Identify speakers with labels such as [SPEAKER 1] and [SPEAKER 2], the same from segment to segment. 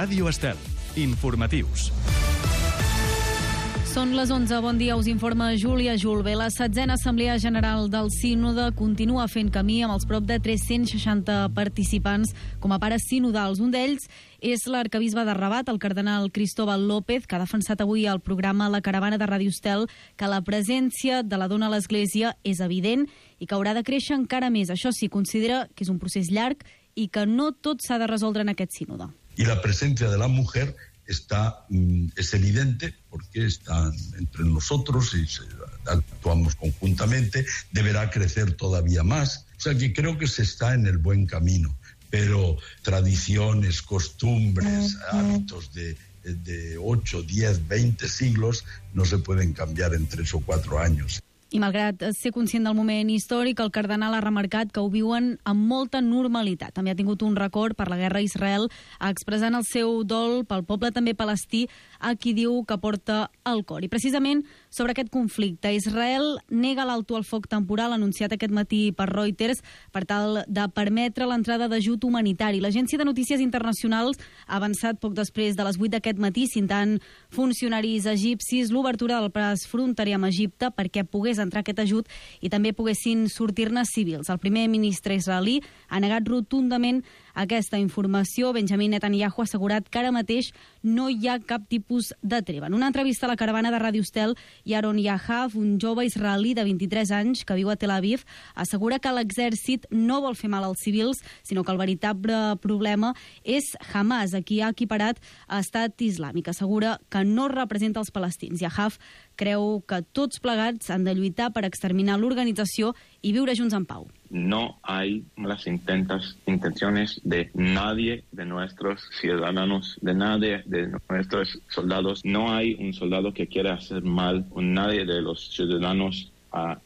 [SPEAKER 1] Ràdio Estel. Informatius.
[SPEAKER 2] Són les 11. Bon dia, us informa Júlia Julve. La 7a Assemblea General del Sínode continua fent camí amb els prop de 360 participants com a pares sinodals. Un d'ells és l'arquebisbe de Rabat, el cardenal Cristóbal López, que ha defensat avui al programa La Caravana de Ràdio Estel que la presència de la dona a l'Església és evident i que haurà de créixer encara més. Això sí, considera que és un procés llarg i que no tot s'ha de resoldre en aquest sínode.
[SPEAKER 3] I la presència de la mujer es evidente porque está entre nosotros y actuamos conjuntamente, deberá crecer todavía más. O sea que creo que se está en el buen camino, pero tradiciones, costumbres, hábitos de 8, 10, 20 siglos no se pueden cambiar en 3 o 4 años.
[SPEAKER 2] I malgrat ser conscient del moment històric, el cardenal ha remarcat que ho viuen amb molta normalitat. També ha tingut un record per la guerra a Israel, expressant el seu dol pel poble també palestí, a qui diu que porta al cor. I precisament sobre aquest conflicte, Israel nega l'alto al foc temporal anunciat aquest matí per Reuters per tal de permetre l'entrada d'ajut humanitari. L'Agència de Notícies Internacionals ha avançat poc després de les 8 d'aquest matí, citant funcionaris egipcis, l'obertura del pas fronterer amb Egipte perquè pogués entrar aquest ajut i també poguessin sortir-ne civils. El primer ministre israelí ha negat rotundament aquesta informació. Benjamin Netanyahu ha assegurat que ara mateix no hi ha cap tipus de treva. En una entrevista a la caravana de Ràdio Estel, Yaron Yahav, un jove israelí de 23 anys que viu a Tel Aviv, assegura que l'exèrcit no vol fer mal als civils, sinó que el veritable problema és Hamas, a qui ha equiparat a Estat Islàmic. Assegura que no representa els palestins. Yahav creu que tots plegats han de lluitar per exterminar l'organització i viure junts en pau.
[SPEAKER 4] No hay las intenciones de nadie de nuestros ciudadanos, de nadie de nuestros soldados. No hay un soldado que quiera hacer mal a nadie de los ciudadanos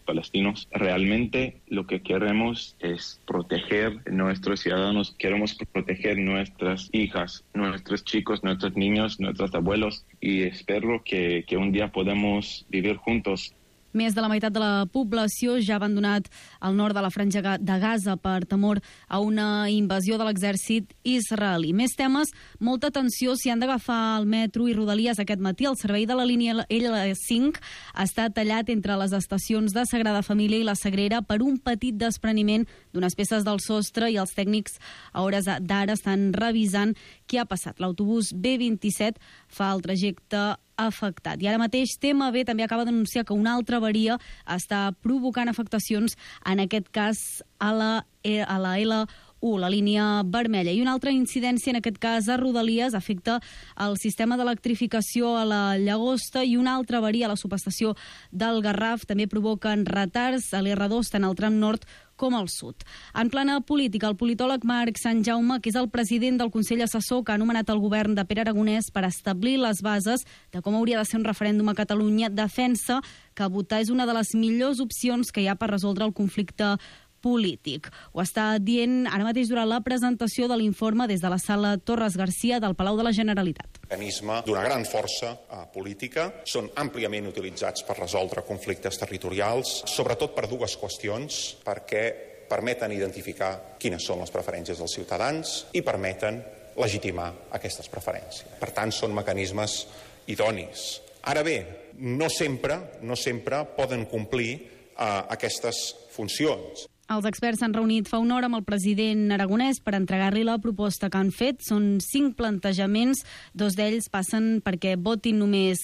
[SPEAKER 4] palestinos. Realmente lo que queremos es proteger a nuestros ciudadanos, queremos proteger nuestras hijas, nuestros chicos, nuestros niños, nuestros abuelos y espero que un día podamos vivir juntos.
[SPEAKER 2] Més de la meitat de la població ja ha abandonat el nord de la franja de Gaza per temor a una invasió de l'exèrcit israelí. Més temes, molta atenció si han d'agafar el metro i Rodalies aquest matí. El servei de la línia L5 està tallat entre les estacions de Sagrada Família i la Sagrera per un petit despreniment d'unes peces del sostre i els tècnics a hores d'ara estan revisant què ha passat. L'autobús B27 fa el trajecte afectat. I ara mateix TMB també acaba d'anunciar que una altra avaria està provocant afectacions, en aquest cas a la L1, la línia vermella. I una altra incidència, en aquest cas a Rodalies, afecta el sistema d'electrificació a la Llagosta i una altra avaria a la subestació del Garraf també provoquen retards a l'R2 tant al tram nord com al sud. En plana política, el politòleg Marc Sant Jaume, que és el president del Consell Assessor que ha anomenat el govern de Pere Aragonès per establir les bases de com hauria de ser un referèndum a Catalunya, defensa que votar és una de les millors opcions que hi ha per resoldre el conflicte polític. Ho està dient ara mateix durant la presentació de l'informe des de la sala Torres Garcia del Palau de la Generalitat.
[SPEAKER 5] Mecanisme d'una gran força política, són àmpliament utilitzats per resoldre conflictes territorials, sobretot per dues qüestions, perquè permeten identificar quines són les preferències dels ciutadans i permeten legitimar aquestes preferències. Per tant, són mecanismes idonis. Ara bé, no sempre poden complir aquestes funcions.
[SPEAKER 2] Els experts s'han reunit fa una hora amb el president aragonès per entregar-li la proposta que han fet. Són 5 plantejaments, 2 d'ells passen perquè votin només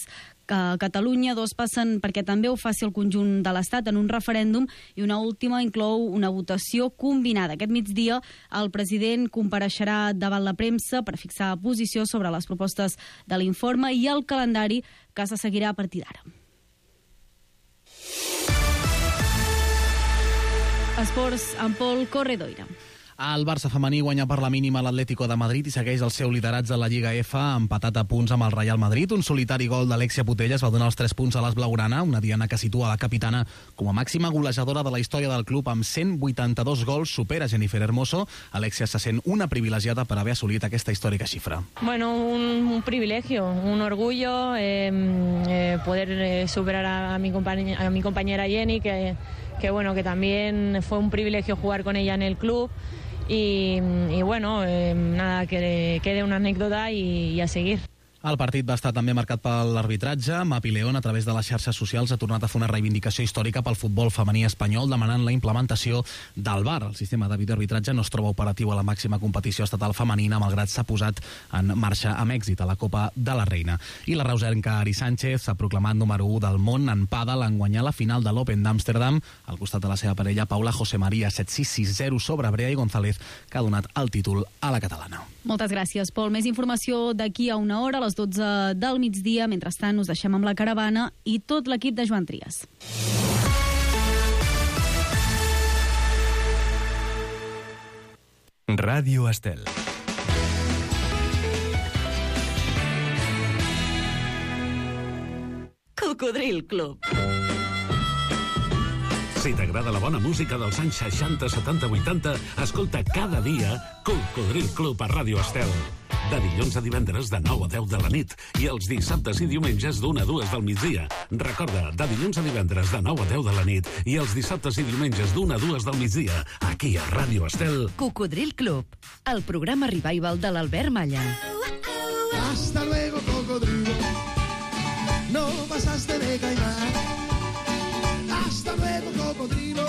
[SPEAKER 2] Catalunya, 2 passen perquè també ho faci el conjunt de l'Estat en un referèndum i una última inclou una votació combinada. Aquest migdia el president compareixerà davant la premsa per fixar posició sobre les propostes de l'informe i el calendari que se seguirà a partir d'ara. Esports amb Pol Corredoira.
[SPEAKER 6] El Barça femení guanya per la mínima l'Atlético de Madrid i segueix el seu lideratge a la Lliga F, empatat a punts amb el Real Madrid. Un solitari gol d'Alexia Putellas va donar els 3 punts a les blaugrana, una diana que situa la capitana com a màxima golejadora de la història del club amb 182 gols, supera Jennifer Hermoso. Alexia se sent una privilegiada per haver assolit aquesta històrica xifra.
[SPEAKER 7] Bueno, un privilegio, un orgullo poder superar a mi compañera Jenny, que también fue un privilegio jugar con ella en el club. y bueno, nada, que quede una anécdota y a seguir.
[SPEAKER 6] El partit va estar també marcat per l'arbitratge. Mapi León, a través de les xarxes socials, ha tornat a fer una reivindicació històrica pel futbol femení espanyol, demanant la implementació del VAR. El sistema de videoarbitratge no es troba operatiu a la màxima competició estatal femenina, malgrat s'ha posat en marxa amb èxit a la Copa de la Reina. I la reusenca Ari Sánchez s'ha proclamat número 1 del món en pàdel en guanyar la final de l'Open d'Amsterdam al costat de la seva parella Paula José María, 7-6, 6-0 sobre Brea i González, que ha donat el títol a la catalana.
[SPEAKER 2] Moltes gràcies, Pol. Més informació d'aquí a una hora, a les 12 del migdia. Mentrestant, us deixem amb la caravana i tot l'equip de Joan Trias.
[SPEAKER 1] Ràdio Estel.
[SPEAKER 8] Cocodril Club.
[SPEAKER 9] Si t'agrada la bona música dels anys 60, 70, 80, escolta cada dia Cocodril Club a Ràdio Estel. De dilluns a divendres de 9 a 10 de la nit i els dissabtes i diumenges d'1 a 2 del migdia. Recorda, de dilluns a divendres de 9 a 10 de la nit i els dissabtes i diumenges d'1 a 2 del migdia, aquí a Ràdio Estel.
[SPEAKER 8] Cocodril Club, el programa revival de l'Albert Malla.
[SPEAKER 10] Hasta luego, cocodrilo. No pasaste de caimán. Hasta luego, cocodrilo.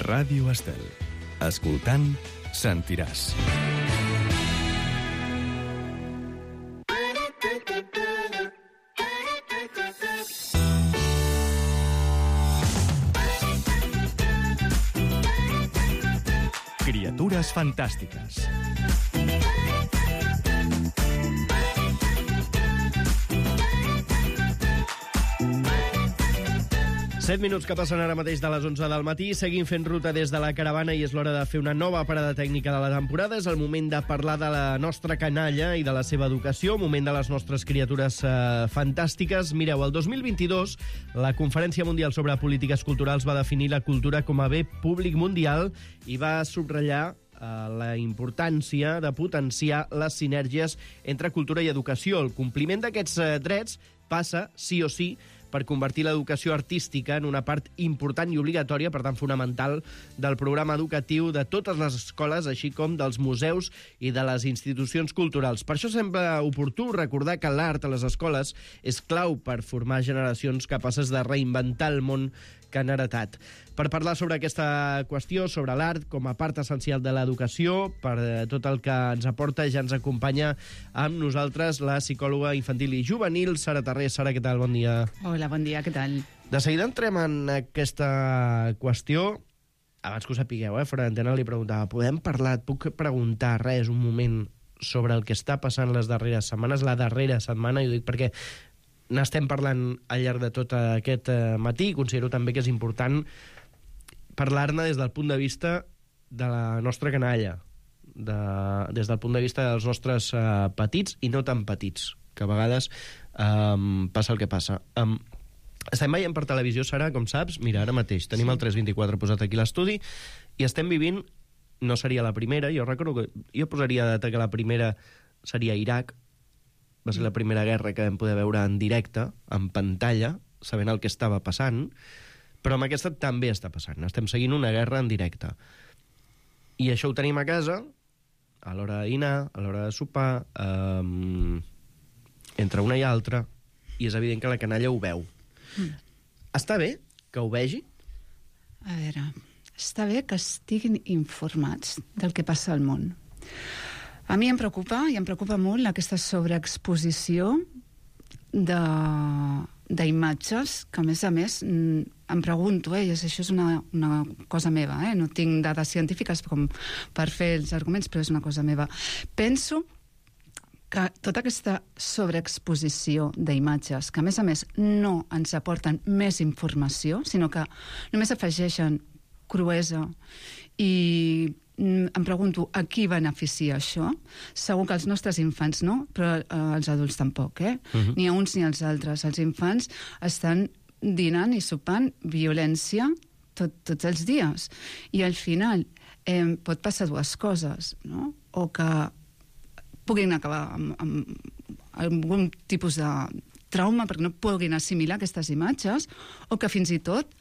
[SPEAKER 1] Ràdio Estel. Escoltant, sentiràs. Criatures fantàstiques.
[SPEAKER 11] 7 minuts que passen ara mateix de les 11 del matí. Seguim fent ruta des de la caravana i és l'hora de fer una nova parada tècnica de la temporada. És el moment de parlar de la nostra canalla i de la seva educació, moment de les nostres criatures fantàstiques. Mireu, el 2022 la Conferència Mundial sobre Polítiques Culturals va definir la cultura com a bé públic mundial i va subratllar la importància de potenciar les sinergies entre cultura i educació. El compliment d'aquests drets passa, sí o sí, per convertir l'educació artística en una part important i obligatòria, per tant fonamental, del programa educatiu de totes les escoles, així com dels museus i de les institucions culturals. Per això sembla oportú recordar que l'art a les escoles és clau per formar generacions capaces de reinventar el món que han heretat. Per parlar sobre aquesta qüestió, sobre l'art com a part essencial de l'educació, per tot el que ens aporta, ja ens acompanya amb nosaltres la psicòloga infantil i juvenil, Sara Tarré. Sara, què tal? Bon dia.
[SPEAKER 12] Hola, bon dia, què tal?
[SPEAKER 11] De seguida entrem en aquesta qüestió. Abans que ho sapigueu, fora d'antena li preguntava, podem parlar, et puc preguntar res un moment sobre el que està passant les darreres setmanes? La darrera setmana, i ho dic perquè n'estem parlant al llarg de tot aquest matí, i considero també que és important parlar-ne des del punt de vista de la nostra canalla, des del punt de vista dels nostres petits i no tan petits, que a vegades passa el que passa. Estem veient per televisió, Sara, com saps, mira, ara mateix tenim el 324 posat aquí a l'estudi i estem vivint, no seria la primera, jo recordo que jo posaria data que la primera seria Iraq, va ser la primera guerra que vam poder veure en directe, en pantalla, sabent el que estava passant, però amb aquesta també està passant. Estem seguint una guerra en directe. I això ho tenim a casa, a l'hora de dinar, a l'hora de sopar, entre una i altra, i és evident que la canalla ho veu. Està bé que ho vegi?
[SPEAKER 12] A veure, està bé que estiguin informats del que passa al món. A mi em preocupa, i em preocupa molt, aquesta sobreexposició d'imatges, que a més em pregunto, i això és una cosa meva, no tinc dades científiques com per fer els arguments, però és una cosa meva. Penso que tota aquesta sobreexposició d'imatges, que a més no ens aporten més informació, sinó que només afegeixen cruesa i em pregunto a qui beneficia això. Segur que els nostres infants no, però els adults tampoc, Ni a uns ni als altres. Els infants estan dinant i sopant violència tots els dies. I al final pot passar dues coses, no? O que puguin acabar amb algun tipus de trauma perquè no puguin assimilar aquestes imatges, o que fins i tot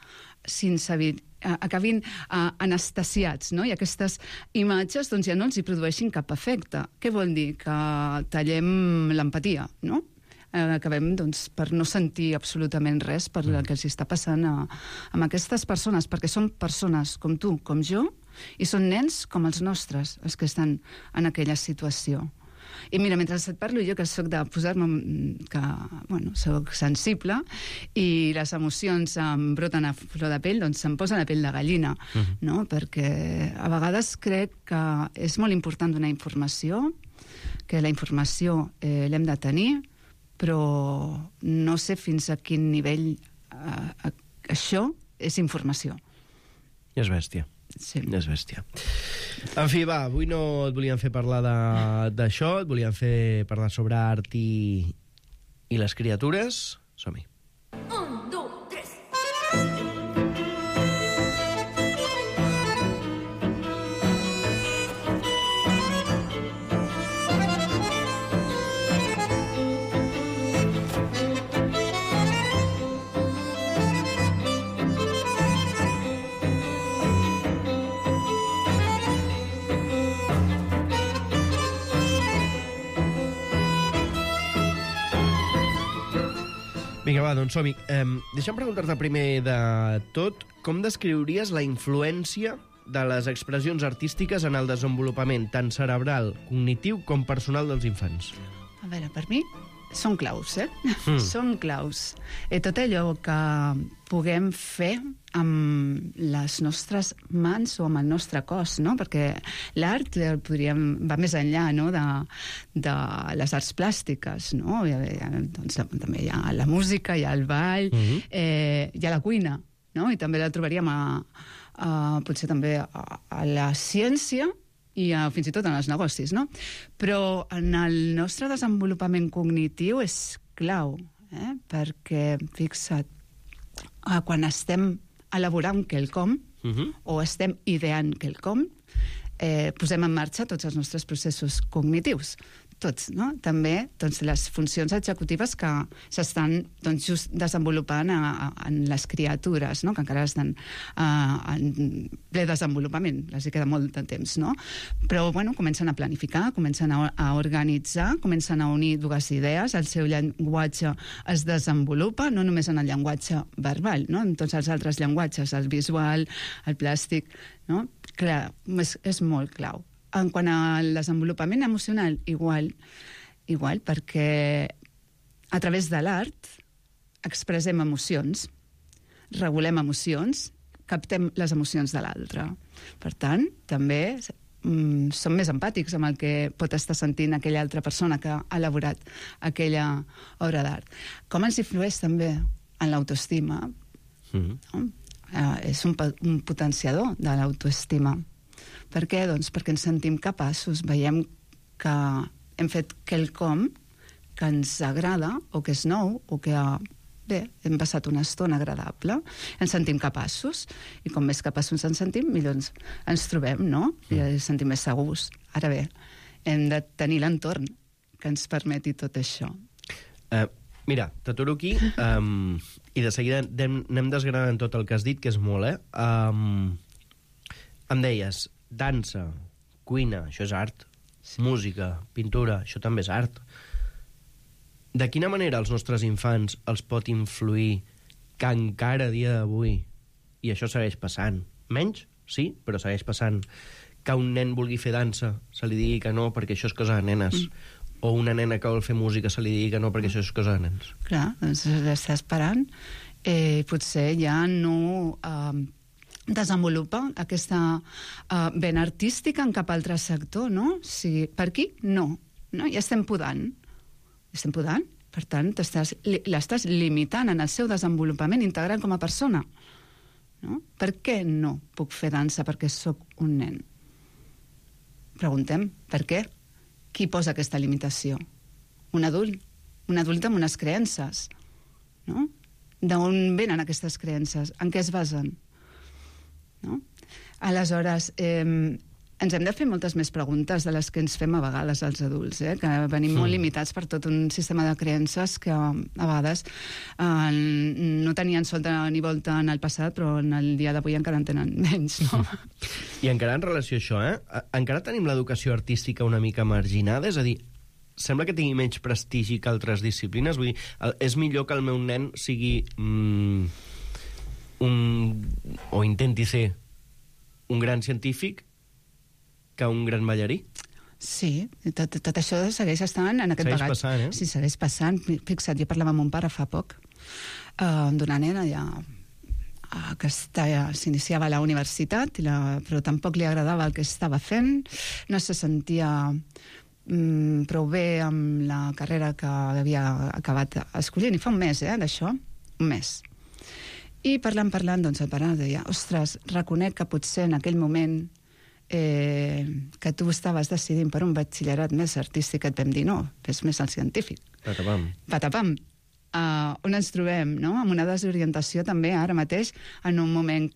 [SPEAKER 12] acabin anestesiats, no? I aquestes imatges doncs, ja no els hi produeixin cap efecte. Què vol dir? Que tallem l'empatia, no? Acabem doncs, per no sentir absolutament res per el que els està passant amb aquestes persones, perquè són persones com tu, com jo, i són nens com els nostres, els que estan en aquella situació. I mira, mentre et parlo, jo que soc de posar-me, que, bueno, soc sensible, i les emocions em broten a flor de pell, doncs se'm posa la pell de gallina, no? Perquè a vegades crec que és molt important donar informació, que la informació l'hem de tenir, però no sé fins a quin nivell això és informació.
[SPEAKER 11] És bèstia.
[SPEAKER 12] Sí.
[SPEAKER 11] És bèstia. En fi, va, avui no et volíem fer parlar d'això, et volíem fer parlar sobre art i les criatures. Som-hi.
[SPEAKER 13] 1, 2, 3.
[SPEAKER 11] Vinga, va, doncs som-hi. Deixa'm preguntar-te primer de tot com descriuries la influència de les expressions artístiques en el desenvolupament tant cerebral, cognitiu com personal dels infants.
[SPEAKER 12] A veure, per mi són claus, Són claus. Tot allò que puguem fer amb les nostres mans o amb el nostre cos, no? Perquè l'art va més enllà, no? de les arts plàstiques, no? Doncs, també hi ha la música, hi ha el ball, hi ha la cuina, no? I també la trobaríem potser també a la ciència i fins i tot en els negocis, no? Però en el nostre desenvolupament cognitiu és clau, perquè, fixa't, quan estem elaborant quelcom o estem ideant quelcom, posem en marxa tots els nostres processos cognitius. Tots, no? També doncs, les funcions executives que s'estan doncs, just desenvolupant en les criatures, no? Que encara estan en ple desenvolupament, els hi queda molt de temps, no? Però bueno, comencen a planificar, comencen a organitzar, comencen a unir dues idees, el seu llenguatge es desenvolupa, no només en el llenguatge verbal, no? En tots els altres llenguatges, el visual, el plàstic, no? Clar, és molt clau. En quant al desenvolupament emocional, igual, perquè a través de l'art expressem emocions, regulem emocions, captem les emocions de l'altre. Per tant, també som més empàtics amb el que pot estar sentint aquella altra persona que ha elaborat aquella obra d'art. Com ens influeix també en l'autoestima? No? És un potenciador de l'autoestima. Per què? Doncs perquè ens sentim capaços, veiem que hem fet quelcom que ens agrada o que és nou o que bé, hem passat una estona agradable, ens sentim capaços i com més capaços ens sentim, millor ens trobem, no? I ens sentim més segurs. Ara bé, hem de tenir l'entorn que ens permeti tot això.
[SPEAKER 11] Mira, t'aturo aquí i de seguida anem desgranant tot el que has dit, que és molt, Em deies, dansa, cuina, això és art, música, pintura, això també és art. De quina manera els nostres infants els pot influir que encara a dia d'avui, i això segueix passant, menys, sí, però segueix passant, que un nen vulgui fer dansa, se li digui que no perquè això és cosa de nenes, o una nena que vol fer música se li digui que no perquè això és cosa de nens?
[SPEAKER 12] Clar, doncs l'està esperant. Potser ja no desenvolupa aquesta vena artística en cap altre sector, no? Si, per aquí, no. Ja estem podant. Estem podant. Per tant, l'estàs limitant en el seu desenvolupament integral com a persona. No? Per què no puc fer dansa perquè sóc un nen? Preguntem, per què? Qui posa aquesta limitació? Un adult. Un adult amb unes creences. No? D'on venen aquestes creences? En què es basen? No? Aleshores, ens hem de fer moltes més preguntes de les que ens fem a vegades els adults, que venim molt limitats per tot un sistema de creences que a vegades no tenien solta ni volta en el passat, però en el dia d'avui encara en tenen menys, no?
[SPEAKER 11] I encara en relació a això, encara tenim l'educació artística una mica marginada? És a dir, sembla que tingui menys prestigi que altres disciplines? Vull dir, és millor que el meu nen sigui o intenti ser un gran científic que un gran ballarí?
[SPEAKER 12] Sí, tot això segueix estant en aquest bagatge.
[SPEAKER 11] Segueix passant,
[SPEAKER 12] Sí, segueix passant. Fixa't, jo parlava amb mon pare fa poc, d'una nena ja que s'iniciava a la universitat, però tampoc li agradava el que estava fent, no se sentia prou bé amb la carrera que havia acabat escollint, i fa un mes, d'això, un mes. I parlant, doncs el pare deia, ostres, reconec que potser en aquell moment que tu estaves decidint per un batxillerat més artístic, que et vam dir, no, fes més el científic.
[SPEAKER 11] Patapam.
[SPEAKER 12] Patapam. On ens trobem, no? Amb una desorientació també ara mateix, en un moment,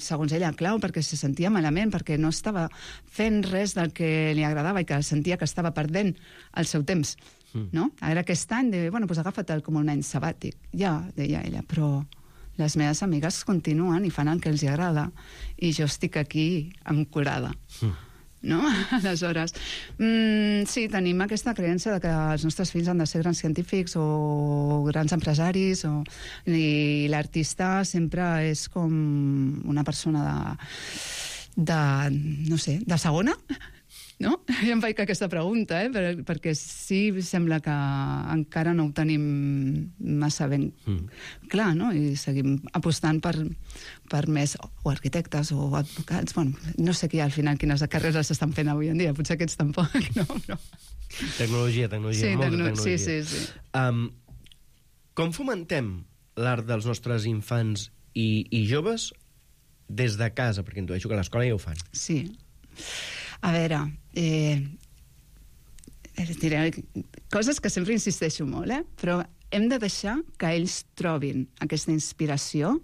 [SPEAKER 12] segons ella, clau, perquè se sentia malament, perquè no estava fent res del que li agradava i que sentia que estava perdent el seu temps, no? Ara aquest any, bueno, doncs agafa-te'l com un any sabàtic. Ja, deia ella, però les meves amigues continuen i fan el que els agrada i jo estic aquí ancorada. No? Aleshores, sí, tenim aquesta creença de que els nostres fills han de ser grans científics o grans empresaris, i l'artista sempre és com una persona no sé, de segona, no? Jo em faig aquesta pregunta, perquè sí, sembla que encara no ho tenim massa ben clar, no? I seguim apostant per més o arquitectes o advocats. Bueno, no sé al final quines carreres s'estan fent avui en dia, potser aquests tampoc, no?
[SPEAKER 11] Tecnologia,
[SPEAKER 12] sí,
[SPEAKER 11] molta tecnologia.
[SPEAKER 12] Sí.
[SPEAKER 11] Com fomentem l'art dels nostres infants i joves des de casa? Perquè intueixo que a l'escola ja ho fan.
[SPEAKER 12] Sí. A veure, diré coses que sempre insisteixo molt, però hem de deixar que ells trobin aquesta inspiració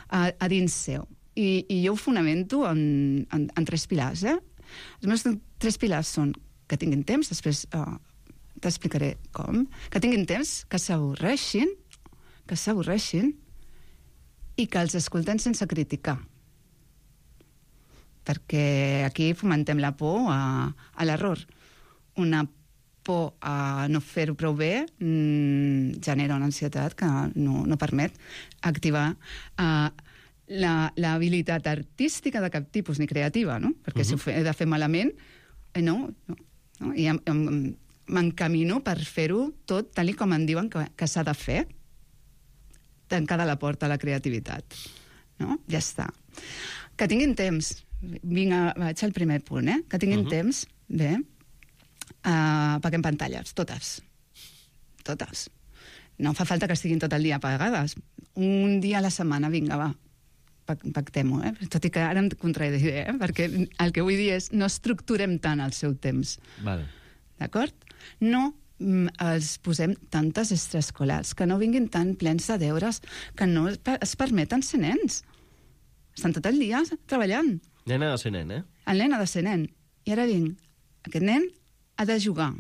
[SPEAKER 12] a dins seu. I jo ho fonamento en 3 pilars. Els meus 3 pilars són que tinguin temps, després t'explicaré com, que tinguin temps, que s'avorreixin i que els escoltem sense criticar. Perquè aquí fomentem la por a l'error. Una por a no fer-ho prou bé genera una ansietat que no permet activar l'habilitat artística de cap tipus, ni creativa, no? Perquè si ho he de fer malament, no. I m'encamino per fer-ho tot tal com em diuen que s'ha de fer, tancada la porta a la creativitat. No? Ja està. Que tinguin temps. Vinga, vaig al primer punt, que tinguin temps, bé, apaguem pantalles, totes. No fa falta que estiguin tot el dia apagades. Un dia a la setmana, vinga, va, pactem-ho, tot i que ara em contradiré, perquè el que vull dir és no estructurem tant el seu temps.
[SPEAKER 11] Vale.
[SPEAKER 12] D'acord? No els posem tantes extraescolars, que no vinguin tan plens de deures, que no es permeten ser nens. Estan tot el dia treballant.
[SPEAKER 11] Nen ha de ser nen,
[SPEAKER 12] El nen ha de ser nen. I ara vinc, aquest nen ha de jugar,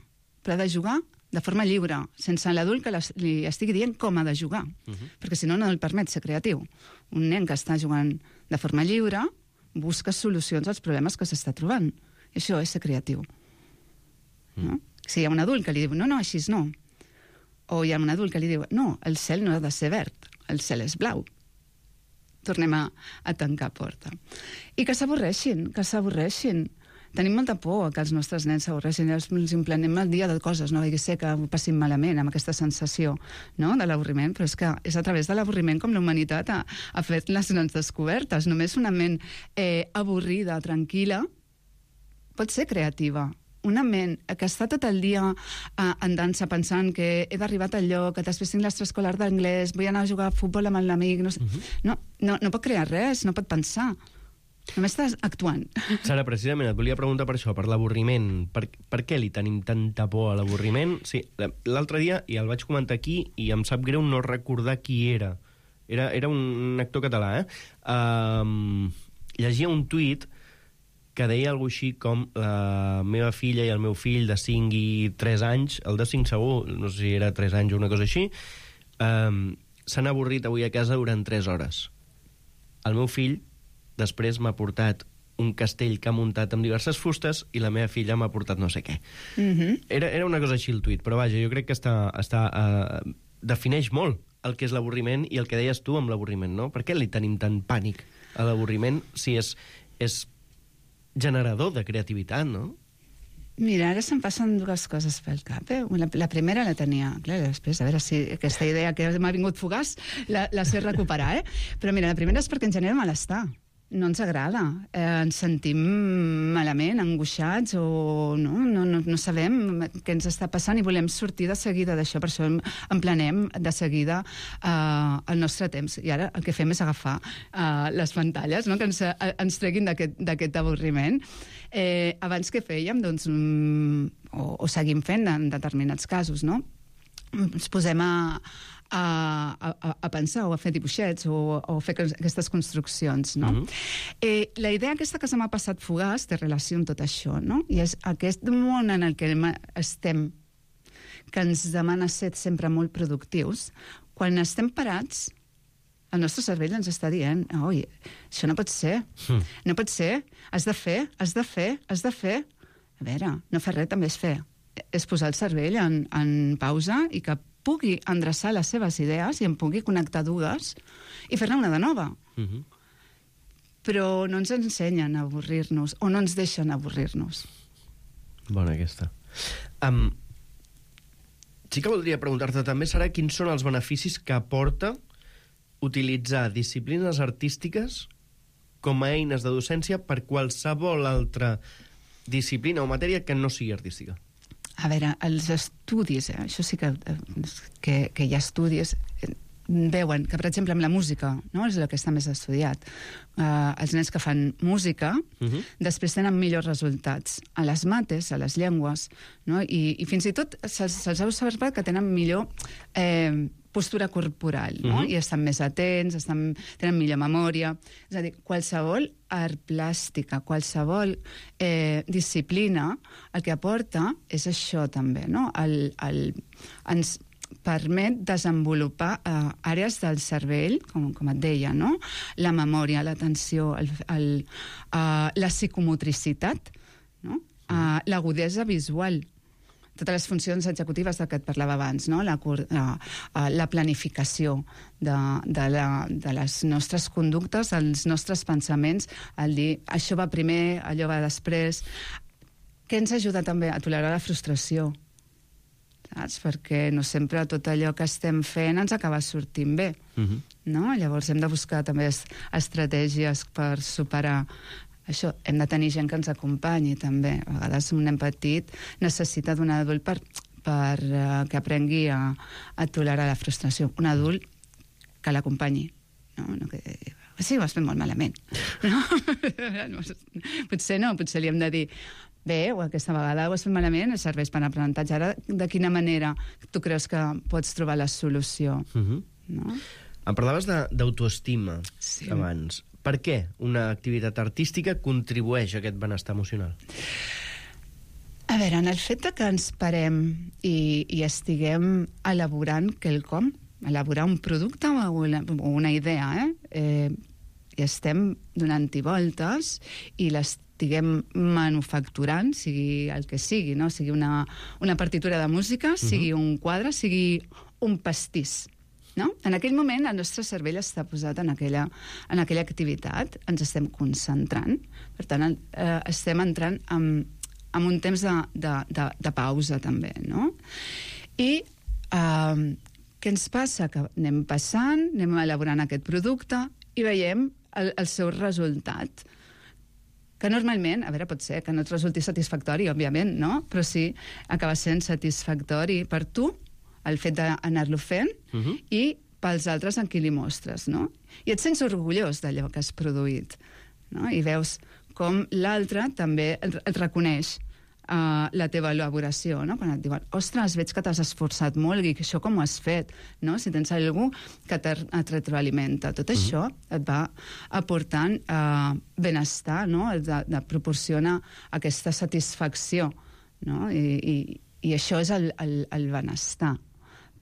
[SPEAKER 12] però ha de jugar de forma lliure, sense l'adult que li estigui dient com ha de jugar, perquè si no, no el permet ser creatiu. Un nen que està jugant de forma lliure busca solucions als problemes que s'està trobant. I això és ser creatiu. No? Si hi ha un adult que li diu, no, així no. O hi ha un adult que li diu, no, el cel no ha de ser verd, el cel és blau. Tornem a tancar porta. I que s'avorreixin. Tenim molta por que els nostres nens s'avorreixin, els implenem el dia de coses, no vagi ser que ho passin malament amb aquesta sensació, no?, de l'avorriment, però és que és a través de l'avorriment com la humanitat ha fet les grans descobertes. Només una ment avorrida, tranquil·la, pot ser creativa. Una ment que està tot el dia en dansa pensant que he d'arribar al lloc, que després tinc l'extraescolar d'anglès, vull anar a jugar a futbol amb l'amic, no pot crear res, no pot pensar. Només estàs actuant.
[SPEAKER 11] Sara, precisament et volia preguntar per això, per l'avorriment. Per què li tenim tanta por a l'avorriment? Sí, l'altre dia, i el vaig comentar aquí, i em sap greu no recordar qui era. Era un actor català, llegia un tuit que deia alguna així com la meva filla i el meu fill de 5 i 3 anys, el de 5 segur, no sé si era 3 anys o una cosa així, s'han avorrit avui a casa durant 3 hores. El meu fill després m'ha portat un castell que ha muntat amb diverses fustes i la meva filla m'ha portat no sé què. Era una cosa així el tuit, però vaja, jo crec que defineix molt el que és l'avorriment i el que deies tu amb l'avorriment, no? Per què li tenim tant pànic a l'avorriment si és generador de creativitat, no?
[SPEAKER 12] Mira, ara se'm passen dues coses pel cap. La primera la tenia, clar, després, a veure si aquesta idea que m'ha vingut fugaç la sé recuperar, Però mira, la primera és perquè ens genera malestar. No ens agrada. Ens sentim malament, angoixats, o no sabem què ens està passant i volem sortir de seguida d'això. Per això emplenem de seguida el nostre temps. I ara el que fem és agafar les pantalles, que ens treguin d'aquest avorriment. Abans què fèiem? Doncs, o seguim fent en determinats casos, no? Ens posem a pensar o a fer dibuixets o a fer aquestes construccions, no? La idea aquesta que se m'ha passat fugaç té relació amb tot això, no? I és aquest món en el que estem, que ens demana ser sempre molt productius, quan estem parats, el nostre cervell ens està dient, oi, això no pot ser, no pot ser, has de fer. A veure, no fer res també és fer. És posar el cervell en pausa i que pugui endreçar les seves idees i em pugui connectar dues i fer-ne una de nova. Però no ens ensenyen a avorrir-nos o no ens deixen avorrir-nos.
[SPEAKER 11] Bona aquesta. Sí que voldria preguntar-te també, Sara, quins són els beneficis que aporta utilitzar disciplines artístiques com a eines de docència per qualsevol altra disciplina o matèria que no sigui artística.
[SPEAKER 12] A veure, els estudis, això sí que hi ha estudis, veuen que, per exemple, amb la música, no? És el que està més estudiat. Els nens que fan música després tenen millors resultats a les mates, a les llengües, no? I fins i tot se'ls ha observat que tenen millor postura corporal, no? I estan més atents, tenen millor memòria. És a dir, qualsevol art plàstica, qualsevol disciplina, el que aporta és això també, no? Ens permet desenvolupar àrees del cervell, com et deia, no? La memòria, l'atenció, la psicomotricitat, no? L'agudesa visual, totes les funcions executives de què et parlava abans, no? La planificació de les nostres conductes, els nostres pensaments, el dir això va primer, allò va després, que ens ajuda també a tolerar la frustració, saps? Perquè no sempre tot allò que estem fent ens acaba sortint bé, no? Llavors hem de buscar també estratègies per superar això. Hem de tenir gent que ens acompanyi també. A vegades un nen petit necessita d'un adult per que aprengui a tolerar la frustració. Un adult que l'acompanyi, no que sí, ho has fet molt malament, no? Potser li hem de dir bé, o aquesta vegada ho has fet malament, serveix per aprenentatge. Ara, de quina manera tu creus que pots trobar la solució? No?
[SPEAKER 11] Em parlaves d'autoestima abans. Per què una activitat artística contribueix a aquest benestar emocional?
[SPEAKER 12] A veure, en el fet que ens parem i estiguem elaborant quelcom, elaborar un producte o una idea, i estem donant-hi voltes i l'estiguem manufacturant, sigui el que sigui, no? Sigui una partitura de música, sigui un quadre, sigui un pastís. No? En aquell moment el nostre cervell està posat en aquella activitat, ens estem concentrant, per tant estem entrant en un temps de pausa també, no? I què ens passa? Que anem passant, anem elaborant aquest producte i veiem el seu resultat, que normalment, a veure, pot ser que no et resulti satisfactori, òbviament, no? Però sí, acaba sent satisfactori per tu el fet d'anar-lo fent i pels altres en qui li mostres, no? I et sents orgullós d'allò que has produït, no? I veus com l'altre també et reconeix la teva elaboració, no? Quan et diuen, ostres, veig que t'has esforçat molt i que això com ho has fet, no? Si tens algú que et retroalimenta, tot això et va aportant benestar, no? De proporcionar aquesta satisfacció, no? I això és el benestar.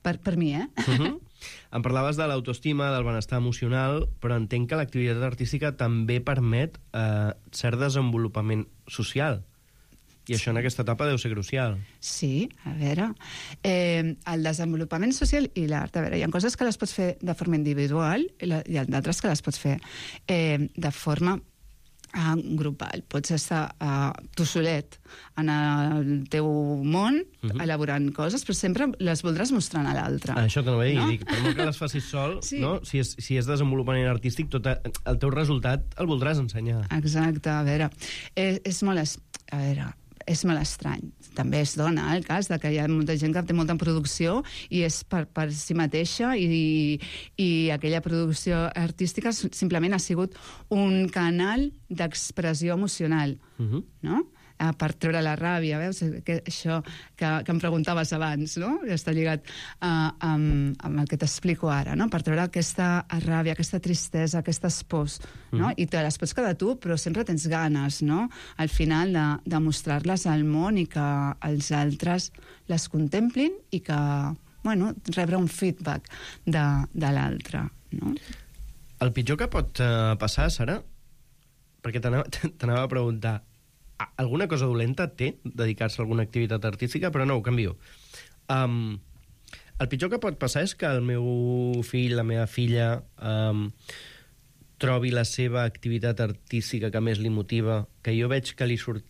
[SPEAKER 12] Per mi,
[SPEAKER 11] Em parlaves de l'autoestima, del benestar emocional, però entenc que l'activitat artística també permet cert desenvolupament social. I això en aquesta etapa deu ser crucial.
[SPEAKER 12] Sí, a veure, el desenvolupament social i l'art, a veure, hi ha coses que les pots fer de forma individual i hi ha d'altres que les pots fer de forma grupal. Pots estar tu solet en el teu món elaborant coses, però sempre les voldràs mostrant a l'altre.
[SPEAKER 11] Això t'ho vaig dir, no? Dic, per molt que les facis sol, sí. No? Si és desenvolupament artístic, tot el teu resultat el voldràs ensenyar.
[SPEAKER 12] Exacte, a veure, és molt estrany. També es dona el cas de que hi ha molta gent que té molta producció i és per si mateixa i aquella producció artística simplement ha sigut un canal d'expressió emocional, no? Per treure la ràbia, veus? Això que em preguntaves abans, no? Està lligat amb el que t'explico ara, no? Per treure aquesta ràbia, aquesta tristesa, aquestes pors, no? I te les pots quedar tu, però sempre tens ganes, no? Al final de mostrar-les al món i que els altres les contemplin i que, bueno, rebre un feedback de l'altre, no?
[SPEAKER 11] El pitjor que pot passar, Sara, perquè t'anava a preguntar, alguna cosa dolenta té dedicar-se a alguna activitat artística, però no, ho canvio. El pitjor que pot passar és que el meu fill, la meva filla, trobi la seva activitat artística que més li motiva, que jo veig que li surt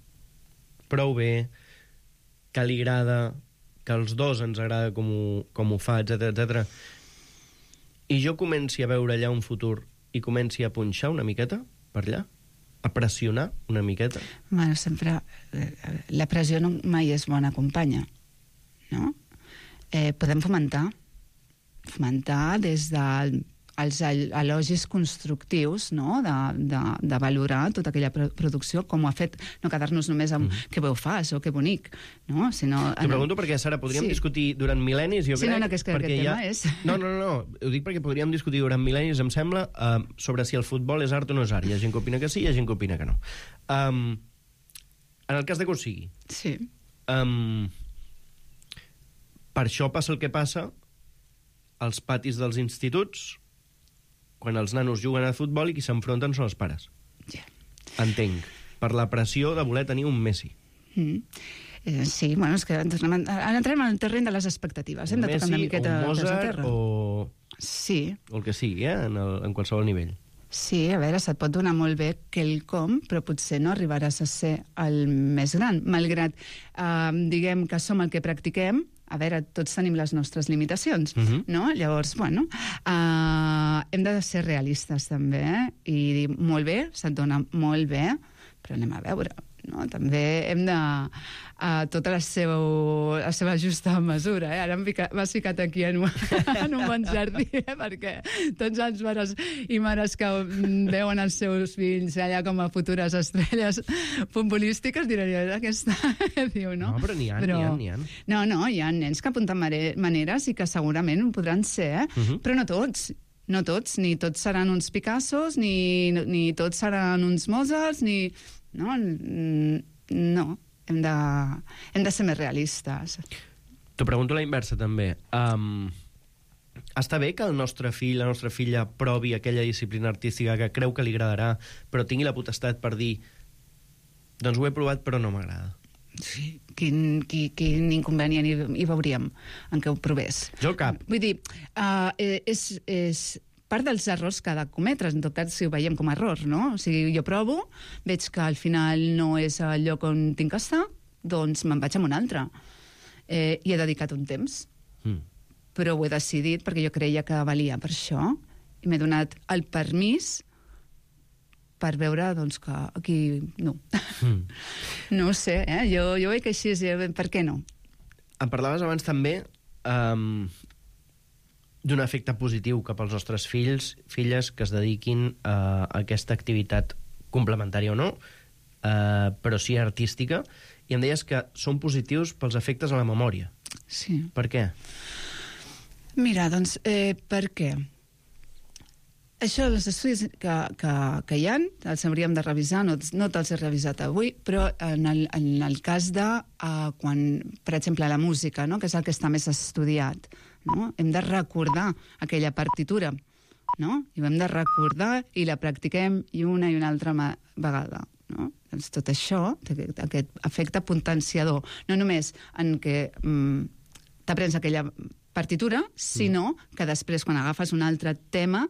[SPEAKER 11] prou bé, que li agrada, que als dos ens agrada com ho fa, etc. I jo comenci a veure allà un futur i comenci a punxar una miqueta per allà, a pressionar una miqueta.
[SPEAKER 12] Bueno, sempre la pressió mai és bona companya, no? Podem fomentar des dels elogis constructius, no? De valorar tota aquella producció, com ho ha fet, no quedar-nos només amb que bé ho fas o que bonic, no?
[SPEAKER 11] T'ho pregunto perquè, Sara, podríem discutir durant mil·lennis, jo crec...
[SPEAKER 12] Sí, no, que és que aquest tema és...
[SPEAKER 11] No, ho dic perquè podríem discutir durant mil·lennis, em sembla, sobre si el futbol és art o no és art. Hi ha gent que opina que sí, hi ha gent que opina que no. En el cas de que ho sigui...
[SPEAKER 12] Sí.
[SPEAKER 11] Per això passa el que passa als patis dels instituts, quan els nanos juguen a futbol i qui s'enfronten són els pares.
[SPEAKER 12] Yeah.
[SPEAKER 11] Entenc. Per la pressió de voler tenir un Messi.
[SPEAKER 12] Sí, bueno, és que entrem en el terreny de les expectatives. Hem de tocar una miqueta
[SPEAKER 11] o Mozart
[SPEAKER 12] sí.
[SPEAKER 11] O el que sigui, en qualsevol nivell.
[SPEAKER 12] Sí, a veure, se't pot donar molt bé quelcom, però potser no arribaràs a ser el més gran. Malgrat, diguem que som el que practiquem, a veure, tots tenim les nostres limitacions, no? Llavors, bueno, hem de ser realistes també, i dir, molt bé, se't dona molt bé, però anem a veure, no? També hem de... tota la seva justa mesura, Ara m'has ficat aquí en un bon jardí, perquè tots els pares i mares que veuen els seus fills allà com a futures estrelles futbolístiques diran, aquesta... Diu, no?
[SPEAKER 11] No, però n'hi ha.
[SPEAKER 12] No, hi ha nens que apunten maneres i que segurament ho podran ser, però no tots. No tots, ni tots seran uns Picassos, ni tots seran uns Mozarts, ni... No, hem de ser més realistes.
[SPEAKER 11] T'ho pregunto a la inversa, també. Està bé que el nostre fill, la nostra filla, provi aquella disciplina artística que creu que li agradarà, però tingui la potestat per dir doncs ho he provat però no m'agrada?
[SPEAKER 12] Sí, quin inconvenient hi veuríem en què ho provés?
[SPEAKER 11] Jo cap.
[SPEAKER 12] Vull dir, és part dels errors que ha de cometre, en tot cas si ho veiem com a error, no? O sigui, jo provo, veig que al final no és el lloc on tinc que estar, doncs me'n vaig a un altre. I he dedicat un temps. Però ho he decidit perquè jo creia que valia per això, i m'he donat el permís per veure, doncs, que aquí no. No ho sé, jo veig que així, per què no?
[SPEAKER 11] Em parlaves abans també d'un efecte positiu cap als nostres filles que es dediquin a aquesta activitat complementària o no, però sí artística, i em deies que són positius pels efectes a la memòria.
[SPEAKER 12] Sí.
[SPEAKER 11] Per què?
[SPEAKER 12] Mira, doncs, per què? Això, els estudis que hi ha, els hauríem de revisar, no te'ls he revisat avui, però en el cas de quan, per exemple, la música, no? Que és el que està més estudiat, no? Hem de recordar aquella partitura, no? I ho hem de recordar i la practiquem i una altra vegada, no? Doncs tot això, aquest efecte potenciador, no només en què t'aprens aquella partitura, sinó que després, quan agafes un altre tema,